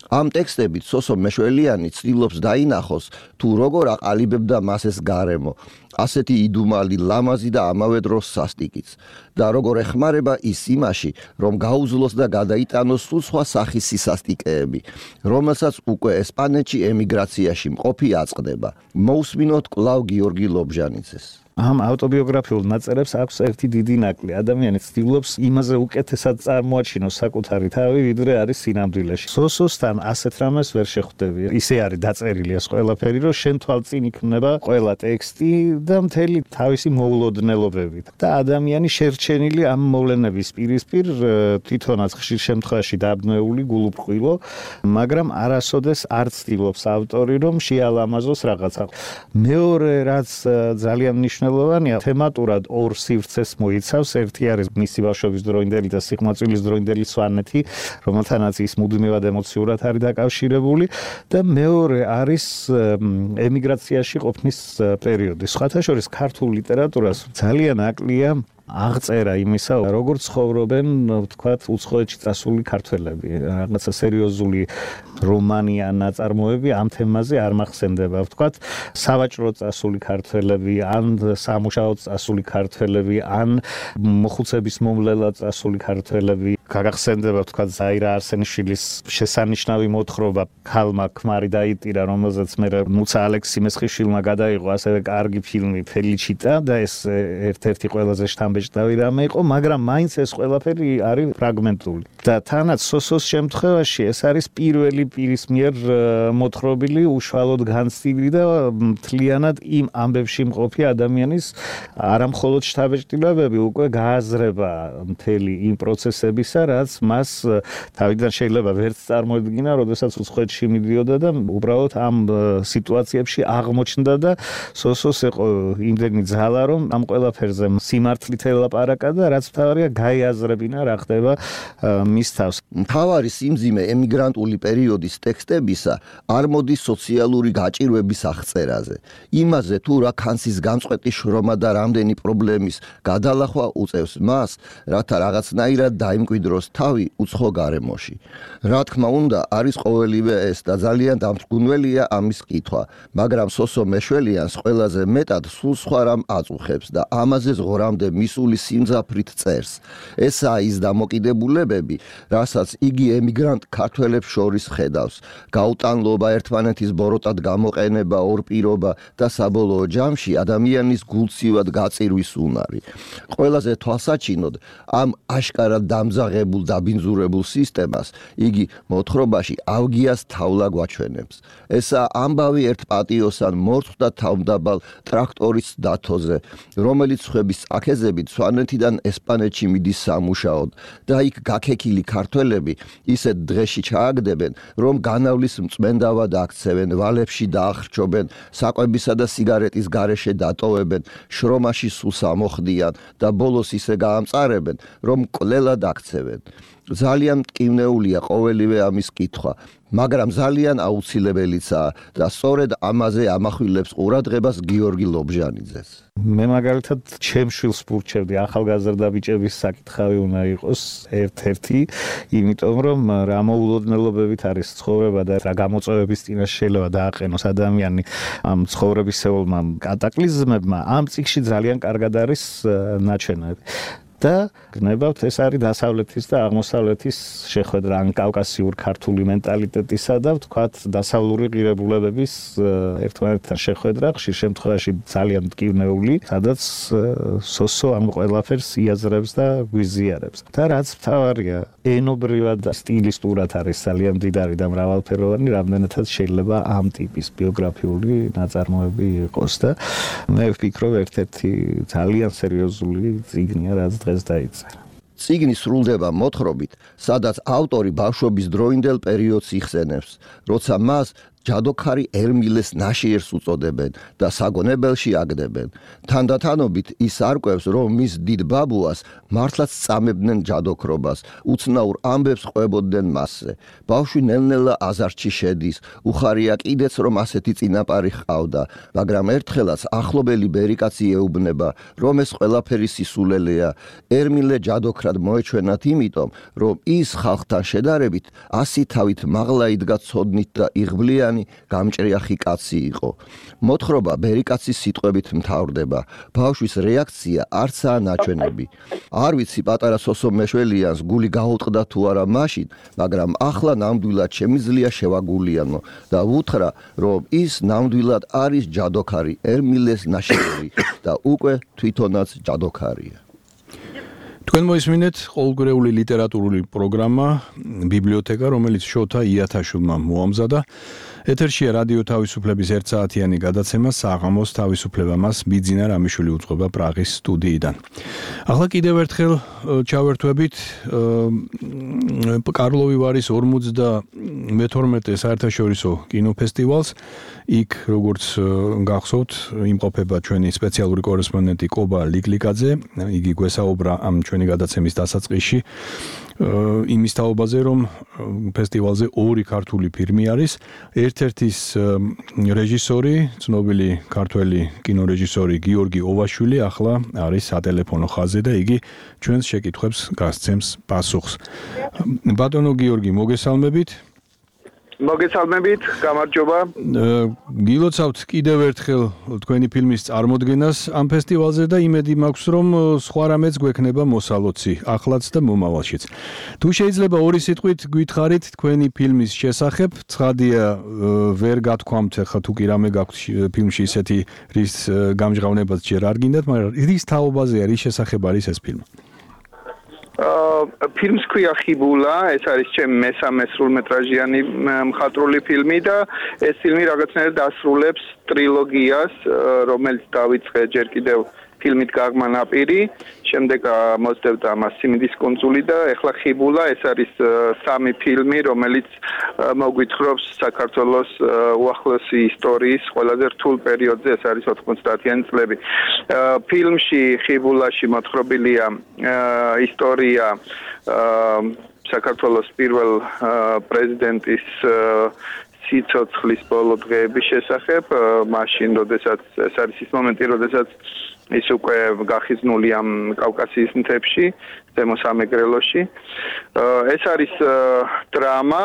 ამ ტექსტებით სოსო მეშველიანი ცდილობს დაინახოს თუ როგორ აყალიბებდა მას ეს გარემო, ასეთი იდუმალი, ლამაზი და ამავე დროს სასტიკიც და როგორ ეხმარება ის იმაში, რომ გაუძლოს და გადაიტანოს სულ სხვა სახის სისასტიკეები, რომელსაც უკვე ესპანეთში ემიგრაციაში მყოფი აწყდება. მოусმინოთ კვლავ გიორგი ლობჟანიძეს. ამ ავტობიოგრაფიულ ნაწერებს აქვს ერთი დიდი ნაკლი. ადამიანი ცდილობს იმაზე უკეთესად წარმოაჩინოს საკუთარი თავი, ვიდრე არის სინამდვილეში. სოსოსთან ასეთ რამეს ვერ შეხვდები. ისე არის დაწერილი ეს ყველაფერი, რომ შენ თვალწინ იქნება ყველა ტექსტი და მთელი თავისი მოულოდნელობებით. და ადამიანი შერჩენილი ამ მოვლენების პირისპირ თვითონაც ხშირ შემთხვევაში დაბნეული, გულუბრყვილო, მაგრამ არასოდეს არ ცდილობს ავტორი, რომ შეალამაზოს რაღაცა. მეორე რაც ძალიან მნიშვნელოვანია, თემატურად ორ სივრცეს მოიცავს. ერთი არის მისი ბავშვობის დროინდელი და სიღმაწვილის დროინდელი სვანეთი, რომელთანაც ის მუდმივად ემოციურად არის დაკავშირებული და მეორე არის ემიგრაციაში ყოფნის პერიოდი. სხვათა შორის ქართულ ლიტერატურას ძალიან აკლია აღწერა იმისა, როგორ ცხოვრობენ, ვთქვათ, უცხოეთში წასული ქართველები. რაღაცა სერიოზული რომანი ან ნაწარმოები ამ თემაზე არ მახსენდება. ვთქვათ, სავაჭრო წასული ქართველები, ან სამუშაო წასული ქართველები, ან მოხუცების მომლელად წასული ქართველები. გაგახსენდება, ვთქვათ, ზაირა არსენიშვილის შესანიშნავი მოთხრობა ქალმა ქმარი დაიტირა, რომელზეც მე მუცა ალექსი-მესხიშვილმა გადაიღო ასევე კარგი ფილმი ფელიჩიტა და ეს ერთ-ერთი ყველაზე შთამბეჭდავი რამე იყო, მაგრამ მაინც ეს ყველაფერი არის ფრაგმენტული. და თანაც სოსოს შემთხვევაში ეს არის პირველი პირის მიერ მოთხრობილი, უშუალოდ განცდილი და მთლიანად იმ ამბებში მყოფი ადამიანის არამხოლოდ შთაბეჭდილებები, უკვე გააზრება მთელი იმ პროცესებისა, რაც მას თავიდან შეიძლება ვერც წარმოედგინა, როდესაც უცხოეთში მიდიოდა და უბრალოდ ამ სიტუაციებში აღმოჩნდა და სოსოს იყო იმდენი ძალა, რომ ამ ყველაფერზე სიმართლით ელაპარაკა და რაც მთავარია გაიაზრებინა რა ხდება მის თავს. მთავარი სიმძიმე ემიგრანტული პერიოდის ტექსტებისა არ მოდის სოციალური გაჭირვების აღწერაზე, იმაზე თუ რა ქანსის გამწყვეტი შრომა და რამდენი პრობლემის გადალახვა უწევს მას, რათა რაღაცნაირად დაიმკვიდროს თავი უცხო გარემოში. რა თქმა უნდა, არის ყოველივე ეს და ძალიან დამრგუნველია ამის კითხვა, მაგრამ სოსო მეშველიანს ყველაზე მეტად სულ სხვა რამ აწუხებს და ამაზე ზღორამდე მისული სიმძაფრით წერს. ესაა ის დამოკიდებულებები, რასაც იგი ემიგრანტ ქართველებს შორის ხედავს. გაუტანლობა, ერთმანეთის ბოროტად გამოყენება, ორპირობა და საბოლოო ჯამში ადამიანის გულცივად გაწირვის უნარი. ყველაზე თვალსაჩინოდ ამ აშკარად დამძაღებულ დაბინძურებულ სისტემას იგი მოთხრობაში ავგიას თავლა გვაჩვენებს. ესაა ამბავი ერთ პატიოსან მორწყვ თავმდაბალ ტრაქტორის დათოზე, რომელიც ხვების წაქეზებით სვანეთიდან ესპანეთში მიდის სამუშაოდ და იქ გაქექილი ქართველები ისეთ დღეში ჩააგდებენ, რომ განავლის მწმენდავად აქცევენ, ვალებში დაახრჩობენ, საკვებისა და სიგარეტის გარეშე დატოვებენ, შრომაში სულს ამოხდიან და ბოლოს ისე გაამწარებენ, რომ კვლელად აქცევენ. ძალიან მტკივნეულია ყოველივე ამის კითხვა, მაგრამ ძალიან აუცილებელიცაა და სწორედ ამაზე ამახვილებს ყურადღებას გიორგი ლობჟანიძეს. მე მაგალითად ჩემ შვილს ვურჩევდი ახალგაზრდა ბიჭების საკითხავი უნდა იყოს ერთ-ერთი, იმიტომ რომ რა მოულოდნელობებით არის ცხოვრება და რა გამოწვევების წინაშე შეიძლება დააყენოს ადამიანი ამ ცხოვრებისეულმა კატაკლიზმებმა, ამ წიგნში ძალიან კარგად არის ნაჩვენები. და გნებავთ ეს არის დასავლეთის და აღმოსავლეთის შეხვედრა, ან კავკასიურ ქართული მენტალიტეტისა და ვთქვათ დასავლური ღირებულებების ერთმანეთთან შეხვედრა, ხშირ შემთხვევაში ძალიან მტკივნეული, სადაც სოსო ამ ყველაფერს იაზრებს და გვიზიარებს. და რაც მთავარია, ენობრივად და სტილისტურად არის ძალიან მდიდარი და მრავალფეროვანი, რამდენადაც შეიძლება ამ ტიპის ბიოგრაფიული ნაწარმოები იყოს და მე ვფიქრობ ერთ-ერთი ძალიან სერიოზული წიგნია, რაც დღეს დაიწერა. წიგნი სრულდება მოთხრობით, სადაც ავტორი ბავშვობის დროინდელ პერიოდს იხსენებს, როცა მას ჯადოქარი ერმილეს ნაშიერს უწოდებენ და საგონებელში აგდებენ. თანდათანობით ის არკვევს, რომ მის დიდ ბაბუას მართლაც წამებდნენ ჯადოქრობას, უცნაურ ამბებს ყვებოდნენ მასზე. ბავშვი ნელ-ნელა აზარში შედის, უხარია კიდეც, რომ ასეთი წინაპარი ჰყავდა, მაგრამ ერთხელაც ახლობელი ბერიკაცი ეუბნება, რომ ეს ყველაფერი სისულელეა. ერმილე ჯადოქრად მოეჩვენათ იმიტომ, რომ ის ხალხთან შედარებით ასი თავით მაღლა იდგა ცოდნით და იღბლიანი გამჭრიახი კაცი იყო. მოთხრობა ბერიკაცის სიტყვებით მთავრდება. ბავშვის რეაქცია არცაა ნაჩვენები. არ ვიცი პატარა სოსო მეშველიანს გული გაუტყდა თუ არა მაშინ, მაგრამ ახლა ნამდვილად შემიძლია შევაგულიანო და ვუთხრა, რომ ის ნამდვილად არის ჯადოქარი ერმილეს ნაშიერი და უკვე თვითონაც ჯადოქარია. თქვენ მოისმინეთ ყოველგვარეული ლიტერატურული პროგრამა ბიბლიოთეკა, რომელიც შოთა იათაშვილმა მოამზადა. ეთერშია რადიო თავისუფლების ერთსაათიანი გადაცემა საღამოს თავისუფლება, მას ბიძინა რამიშვილი უძღვება პრაღის სტუდიიდან. ახლა კიდევ ერთხელ ჩავერთვებით კარლოვი ვარის ორმოცდამეთორმეტე საერთაშორისო კინოფესტივალს. იქ როგორც გახსოვთ, იმყოფება ჩვენი სპეციალური კორესპონდენტი კობა ლიკლიკაძე. იგი გვესაუბრა ამ ჩვენი გადაცემის დასაწყისში იმის თაობაზე, რომ ფესტივალზე ორი ქართული ფილმი არის. ერთ-ერთის რეჟისორი, ცნობილი ქართველი კინორეჟისორი გიორგი ოვაშვილი ახლა არის სატელეფონო ხაზზე და იგი ჩვენს შეკითხვებს გასცემს პასუხს. ბატონო გიორგი, მოგესალმებით. მოგესალმებით, გამარჯობა. გილოცავთ კიდევ ერთხელ თქვენი ფილმის წარმოდგენას ამ ფესტივალზე და იმედი მაქვს, რომ სხვა რამეც გვექნება მოსალოცი, ახლაც და მომავალშიც. თუ შეიძლება ორი სიტყვით გითხარით თქვენი ფილმის შესახებ, ცხადია ვერ გათქვამთ, ხა თუ კი რამე გაქვთ ფილმში ისეთი, რის გამჟღავნებაც ჯერ არ გინდათ, მაგრამ რის თაობაზე არის შესახებ არის ეს ფილმი? ფილმს ქვია ხიბულა, ეს არის ჩემი მესამე სრულმეტრაჟიანი მხატვრული ფილმი და ეს ფილმი რაღაცნაირად დასრულებს ტრილოგიას, რომელიც დავიწყე ჯერ კიდევ ფილმით გაღმა ნაპირი, შემდეგ მოსდევდა ამას სიმინდის კუნძული და ეხლა ხიბულა, ეს არის სამი ფილმი, რომელიც მოგვითხრობს საქართველოს უახლოესი ისტორიის ყველაზე რთულ პერიოდზე, ეს არის ოთხმოცდაათიანი წლები. ფილმში ხიბულაში მოთხრობილია ისტორია საქართველოს პირველ პრეზიდენტის სიცოცხლის ბოლო დღეების შესახებ, მაშინ, როდესაც ეს არის ის მომენტი, როდესაც ის უკვე გახიზნული ამ კავკასიის მთებში, ზემო სამეგრელოში. ეს არის დრამა,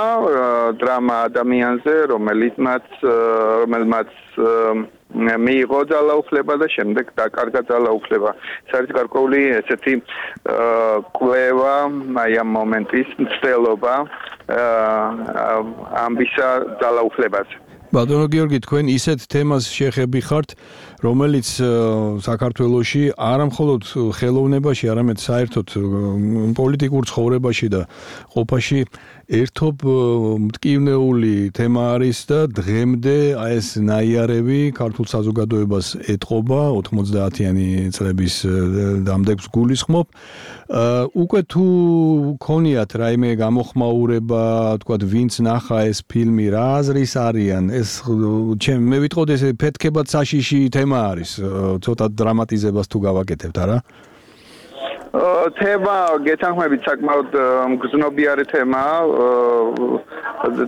დრამა ადამიანზე, რომელიც რომელმაც მიიღო ძალაუფლება და შემდეგ დაკარგა ძალაუფლება. ეს არის გარკვეული ესეთი კვლევა, აი ამ მომენტის მცდელობა ამბისა ძალაუფლებაზე. ბატონო გიორგი, თქვენ ისეთ თემას შეხები ხართ, რომელიც საქართველოში არა მხოლოდ ხელოვნებაში, არამედ საერთოდ პოლიტიკურ ცხოვრებაში და ყოფაში ერთობ მტკივნეული თემა არის და დღემდე ეს ნაიარევი ქართულ საზოგადოებას ეტყობა, ოთხმოცდაათიანი წლების დამდეგს გულისხმობ. უკვე თუ ქონიათ რაიმე გამოხმაურება, თქვათ, ვინც ნახა ეს ფილმი, რა აზრის არიან? ეს ჩემ მე ვიტყოდ ეს ფეთქებად საშიში თემა არის, ცოტა დრამატიზებას თუ გავაკეთებთ, არა? თემა გეთანხმებით საკმაოდ მგრძნობიარე თემა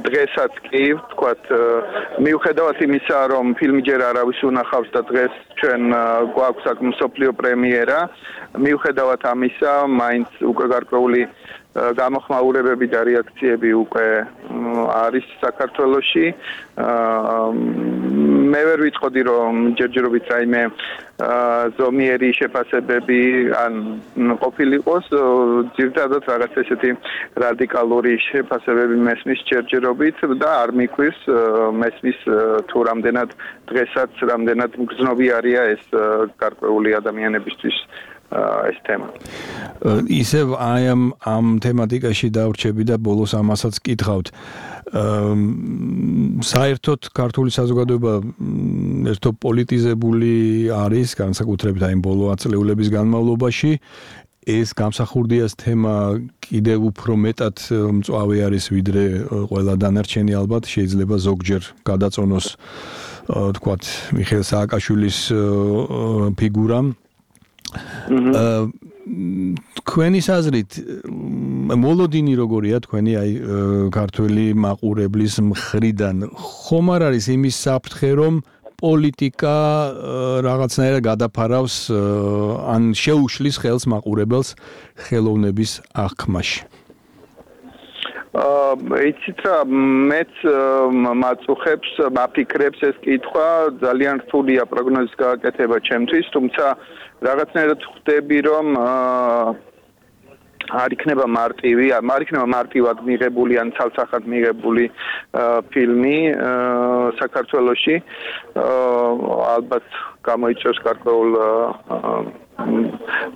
დღესაც კი ვთქვათ მიუხედავად იმისა რომ ფილმი ჯერ არავის უნახავს და დღეს ჩვენ გვაქვს აქ მსოფლიო პრემიერა მიუხედავად ამისა მაინც უკვე გარკვეული გამოხმაურებები და რეაქციები უკვე არის საქართველოში მე ვერ ვიტყოდი რომ ჯერჯერობით რაიმე ზომიერი შეფასებები ან ყოფილიყოს ძირითადად რაღაც ესეთი რადიკალური შეფასებები მესმის ჯერჯერობით და არ მიკვირს მესმის თუ რამდენად დღესაც რამდენად მგრძნობიარია ეს გარკვეული ადამიანებისთვის ეს თემა. ისევ აი ამ ამ თემატიკაში დავრჩები და ბოლოს ამასაც კითხავთ. საერთოდ ქართული საზოგადოება ერთო პოლიტიზებული არის, განსაკუთრებით აი ბოლო ათწლეულების განმავლობაში. ეს გამსახურდიას თემა კიდევ უფრო მეტად მწვავე არის ვიდრე ყველა დანარჩენი ალბათ შეიძლება ზოგჯერ გადაწონოს თქვათ მიხეილ სააკაშვილის ფიგურა თქვენის აზრით მოლოდინი როგორია თქვენი აი ქართველი მაყურებლის მხრიდან ხომ არ არის იმის საფრთხე რომ პოლიტიკა რაღაცნაირად გადაფარავს ან შეუშლის ხელს მაყურებელს ხელოვნების აღქმაში. იცით რა მეც მაწუხებს მაფიქრებს ეს კითხვა ძალიან რთულია პროგნოზის გაკეთება ჩემთვის თუმცა რაღაცნაირად ხვდები რომ არ იქნება მარტივი, არ იქნება მარტივად მიღებული ან ცალსახად მიღებული ფილმი საქართველოში. ალბათ გამოიწვევს გარკვეულ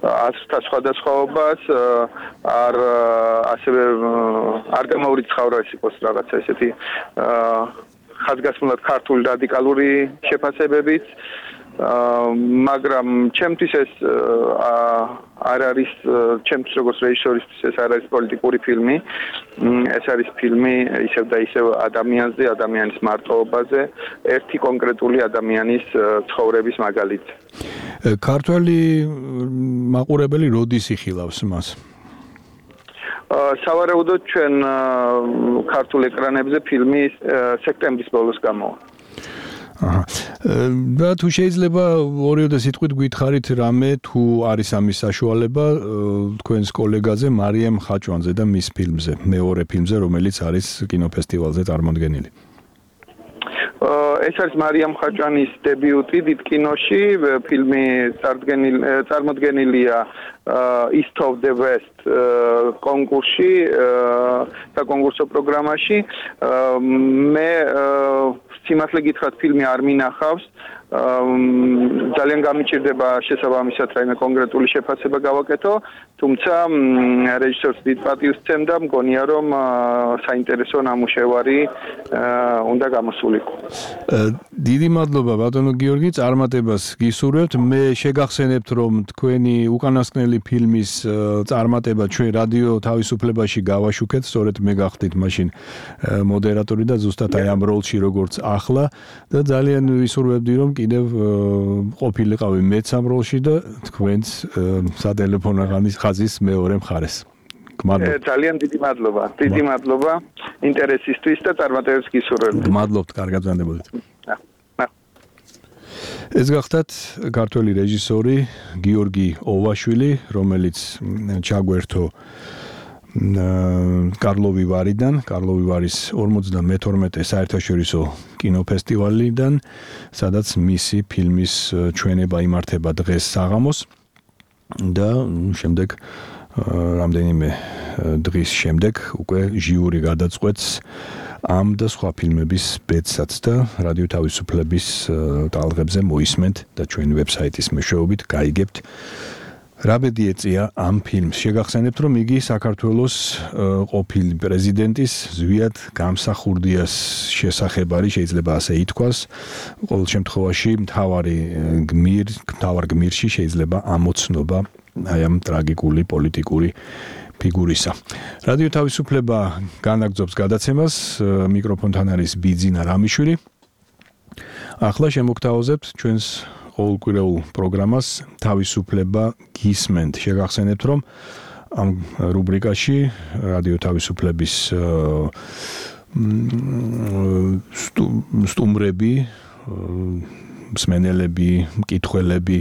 ასთა სხვადასხვაობას, არ ასევე არ გამოურიცხავრა ეს იყოს რაღაცა ესეთი ხაზგასმულად ქართული რადიკალური შეფასებებიც. მაგრამ ჩემთვის ეს არ არის ჩემთვის როგორც რეჟისორისთვის ეს არ არის პოლიტიკური ფილმი ეს არის ფილმი ისევ და ისევ ადამიანზე ადამიანის მარტოობაზე ერთი კონკრეტული ადამიანის ცხოვრების მაგალითი ქართველი მაყურებელი როდის იხილავს მას სავარაუდოდ ჩვენ ქართულ ეკრანებზე ფილმი სექტემბრის ბოლოს გამოვა აჰა და თუ შეიძლება ორიოდე სიტყვით გითხარით რამე თუ არის ამის საშუალება თქვენს კოლეგაზე მარიამ ხაჭვანზე და მის ფილმზე მეორე ფილმზე რომელიც არის კინოფესტივალზე წარმოდგენილი ეს არის მარიამ ხაჭვანის დებიუტი დიდ კინოში ფილმი წარმოდგენილია East of the West კონკურსში და კონკურსო პროგრამაში მე სიმართლე გითხრათ ფილმი არ მინახავს ძალიან გამიჭირდება შესაბამისად რაიმე კონკრეტული შეფასება გავაკეთო თუმცა რეჟისორს დიდ პატივს სცემდა მგონია რომ საინტერესო ნამუშევარი უნდა გამოსულიყო დიდი მადლობა ბატონო გიორგი წარმატებას გისურვებთ მე შეგახსენებთ რომ თქვენი უკანასკნელი ფილმის წარმატება ჩვენ რადიო თავისუფლებაში გავაშუქეთ სწორედ მე გახდით მაშინ მოდერატორი და ზუსტად აი ამ როლში როგორც ახლა და ძალიან ვისურვებდი რომ კიდევ ყოფილიყავი მეც ამ როლში და თქვენც სატელეფონო ხაზის მეორე მხარეს. ძალიან დიდი მადლობა. დიდი მადლობა ინტერესისთვის და წარმატებებს გისურვებთ. მადლობთ, კარგად ბრძანდებოდეთ. ეს გახდათ ქართველი რეჟისორი გიორგი ოვაშვილი, რომელიც ჩაგვერთო კარლოვი ვარიდან, კარლოვი ვარის ორმოცდამეთორმეტე საერთაშორისო კინოფესტივალიდან, სადაც მისი ფილმის ჩვენება იმართება დღეს საღამოს და შემდეგ რამდენიმე დღის შემდეგ უკვე ჟიური გადაწყვეტს ამ და სხვა ფილმების ბედსაც და რადიო თავისუფლების ტალღებზე მოისმენთ და ჩვენი ვებსაიტის მეშვეობით გაიგებთ რა ბედი ეწია ამ ფილმს. შეგახსენებთ, რომ იგი საქართველოს ყოფილი პრეზიდენტის ზვიად გამსახურდიას შესახებ არის, შეიძლება ასე ითქვას. ყოველ შემთხვევაში მთავარი გმირ, მთავარ გმირში შეიძლება ამოცნობა აი ამ ტრაგიკული პოლიტიკური ფიგურისა. რადიო თავისუფლება განაგრძობს გადაცემას, მიკროფონთან არის ბიძინა რამიშვილი. ახლა შემოგთავაზებთ ჩვენს ყოველკვირეულ პროგრამას თავისუფლება გისმენთ. შეგახსენებთ, რომ ამ რუბრიკაში რადიო თავისუფლების სტუმრები, მსმენელები, მკითხველები,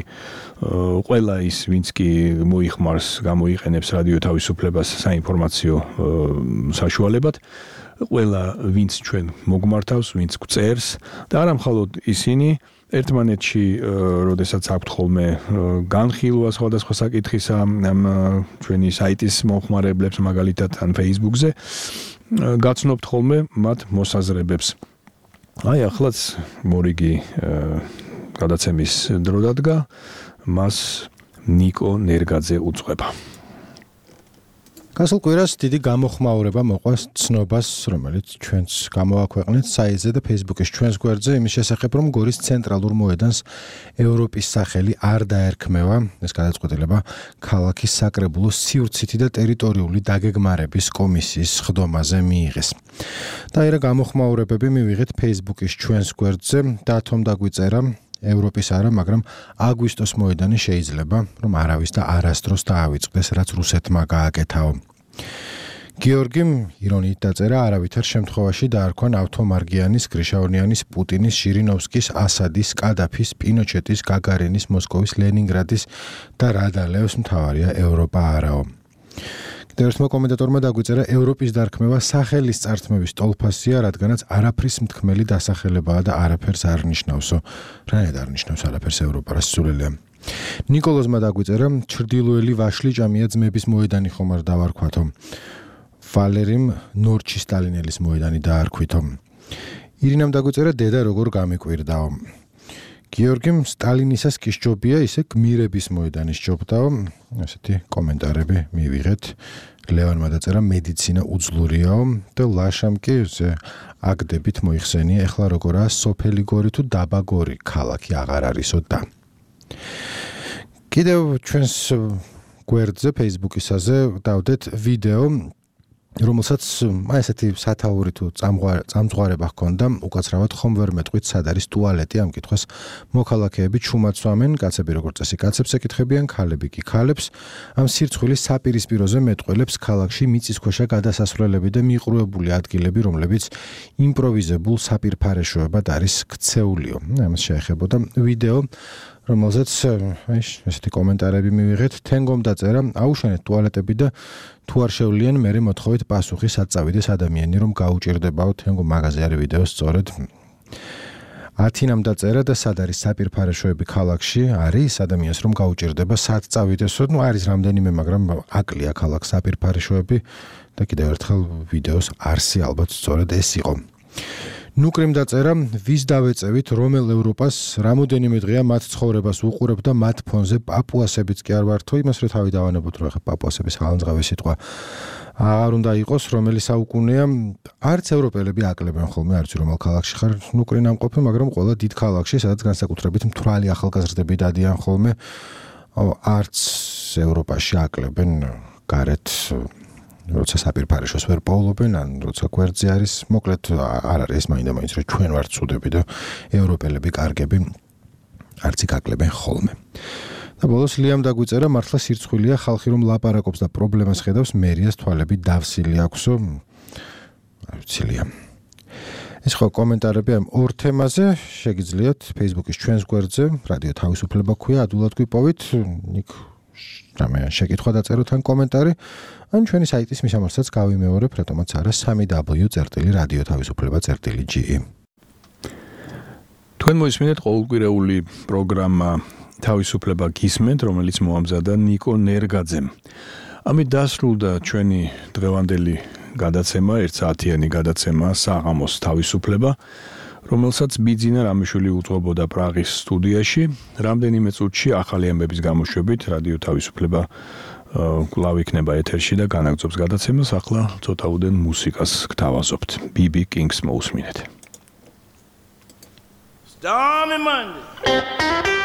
ყველა ის, ვინც კი მოიხმარს, გამოიყენებს რადიო თავისუფლებას საინფორმაციო საშუალებად, ყველა ვინც ჩვენ მოგმართავს, ვინც გწერს და არა მხოლოდ ისინი ერთმანეთში, როდესაც აქვთ ხოლმე განხილვა სხვადასხვა საკითხისა ამ ჩვენი საიტის მომხმარებლებს, მაგალითად ან Facebook-ზე, გაცნობთ ხოლმე მათ მოსაზრებებს. აი, ახლაც მორიგი გადაცემის დრო დადგა, მას ნიკო ნერგაძე უძღვება. გასულ კვირას დიდი გამოხმაურება მოყვა ცნობას, რომელიც ჩვენს გამოაქვეყნეთ საიტზე და Facebook-ის ჩვენს გვერდზე იმის შესახებ, რომ გორის ცენტრალურ მოედანს ევროპის სახელი არ დაერქმევა. ეს გადაწყვეტილება ქალაქის საკრებულოს სივრცითი და ტერიტორიული დაგეგმარების კომისიის ხდომაზე მიიღეს. და ერა გამოხმაურებები მივიღეთ Facebook-ის ჩვენს გვერდზე და თომ დაგვიწერა ევროპის არა, მაგრამ აგვისტოს მოედანი შეიძლება, რომ არავის და არასდროს დაავიწყდეს, რაც რუსეთმა გააკეთაო. გიორგიმ ირონიით დაწერა, არავითარ შემთხვევაში დაარქვა ავთომარგიანის, გრიშაონიანის, პუტინის, ჟირინოვსკის, ასადის, კადაფის, პინოჩეტის, გაგარინის, მოსკოვის, ლენინგრადის და რადალევს მთავარია ევროპა არაო. ერთმა კომენტატორმა დაგვიწერა, ევროპის დარქმევა სახელის წართმევის ტოლფასია, რადგანაც არაფრის მთქმელი დასახელებაა და არაფერს არ ნიშნავსო. რანაირად არ ნიშნავს არაფერს ევროპა, რა სულელია. ნიკოლოზმა დაგვიწერა, ჩრდილოელი ვაშლი ჭამია ძმების მოედანი ხომ არ დავარქვათო. ვალერიმ ნორჩი სტალინელის მოედანი დაარქვითო. ირინამ დაგვიწერა, დედა როგორ გამიკვირდაო. გიორგიმ სტალინისას კი სჯობია, ისე გმირების მოედანი სჯობდაო. ასეთი კომენტარები მივიღეთ. ლევანმა დაწერა, მედიცინა უძლურიაო და ლაშამ კი აგდებით მოიხსენია, ეხლა როგორაა სოფელი გორი თუ დაბა გორი, ქალაქი აღარ არისო და. კიდევ ჩვენს გვერდზე Facebook-ისაზე დავდეთ ვიდეო, რომელსაც აი ესეთი სათაური თუ წამძღვარება ჰქონდა, უკაცრავად ხომ ვერ მეტყვით სად არის ტუალეტი, ამ კითხვას მოქალაქეები ჩუმაცვამენ, კაცები როგორც წესი კაცებს ეკითხებიან, ქალები კი ქალებს. ამ სირცხვილის საპირისპიროზე მეტყველებს ქალაქში მიწისქვეშა გადასასვლელები და მიყრუებული ადგილები, რომლებიც იმპროვიზებულ საპირფარეშოებად არის ქცეულიო. ამას შეეხებოდა ვიდეო, რომელზეც აი ესეთი კომენტარები მივიღეთ, თენგომ დაწერა, აუშენეთ ტუალეტები და თუ არ შევლიან, მერე მოთხოვეთ პასუხი, სად წავიდეს ადამიანი, რომ გაუჭირდებაო. თენგომ მაღაზია არის ვიდეო სწორედ. ათინამ დაწერა და სად არის საპირფარეშოები ქალაქში, არის ადამიანს რომ გაუჭირდება, სად წავიდესო, ну არის რამდენიმე, მაგრამ აკლია ქალაქს საპირფარეშოები და კიდევ ერთხელ ვიდეოს არსი ალბათ სწორედ ეს იყო. ნუკრიმ დაწერა, ვის დავეწევით, რომელ ევროპას, რამოდენიმე დღეა მათ ცხოვრებას უყურებ და მათ ფონზე პაპუასებიც კი არ ვართო, იმას რო თავი დავანებოთ, რომ ხა პაპუასების ხალანძღავი სიტყვა აღარ უნდა იყოს, რომელი საუკუნეა, არც ევროპელები აკლებენ ხოლმე, არც რომელ ქალაქში ხარ, ნუკრი ნამყოფი, მაგრამ ყველა დიდ ქალაქში, სადაც განსაკუთრებით მთვრალი ახალგაზრდები დადიან ხოლმე, არც ევროპაში აკლებენ გარეთ როცა საპირფარეშოს ვერ პოულობენ, ან როცა გვერდზე არის, მოკლედ არ არის მაინდა-მაინც, რომ ჩვენ ვართ ცუდები და ევროპელები კარგები არც იკაკლებენ ხოლმე. და ბოლოს ლიამ დაგვიწერა, მართლა სირცხვილია ხალხი რომ ლაპარაკობს და პრობლემას ხედავს, მერიას თვალები დავსილი აქვსო. არ ვიცი ლიამ. ეს ხო კომენტარები ამ ორ თემაზე შეგიძლიათ Facebook-ის ჩვენს გვერდზე, რადიო თავისუფლება ქვია, ადვილად გვიპოვით, იქ რამე შეკითხვა დაწეროთ ან კომენტარი, ან ჩვენი საიტის მისამართსაც გავიმეორებ, რატომაც არა სამი დაბლიუ წერტილი რადიო თავისუფლება წერტილი ჯი ი. თქვენ მოისმინეთ ყოველკვირეული პროგრამა თავისუფლება გისმენთ, რომელიც მოამზადა ნიკო ნერგაძემ. ამით დასრულდა ჩვენი დღევანდელი გადაცემა, ერთ საათიანი გადაცემა საღამოს თავისუფლება, რომელსაც ბიძინა რამიშვილი უძღვებოდა პრაღის სტუდიაში. რამდენიმე წუთში ახალი ამბების გამოშვებით რადიო თავისუფლება კვლავ იქნება ეთერში და განაგრძობს გადაცემას. ახლა ცოტაუდენ მუსიკას გთავაზობთ. ბი ბი Kings მოусმინეთ. Stormy Monday.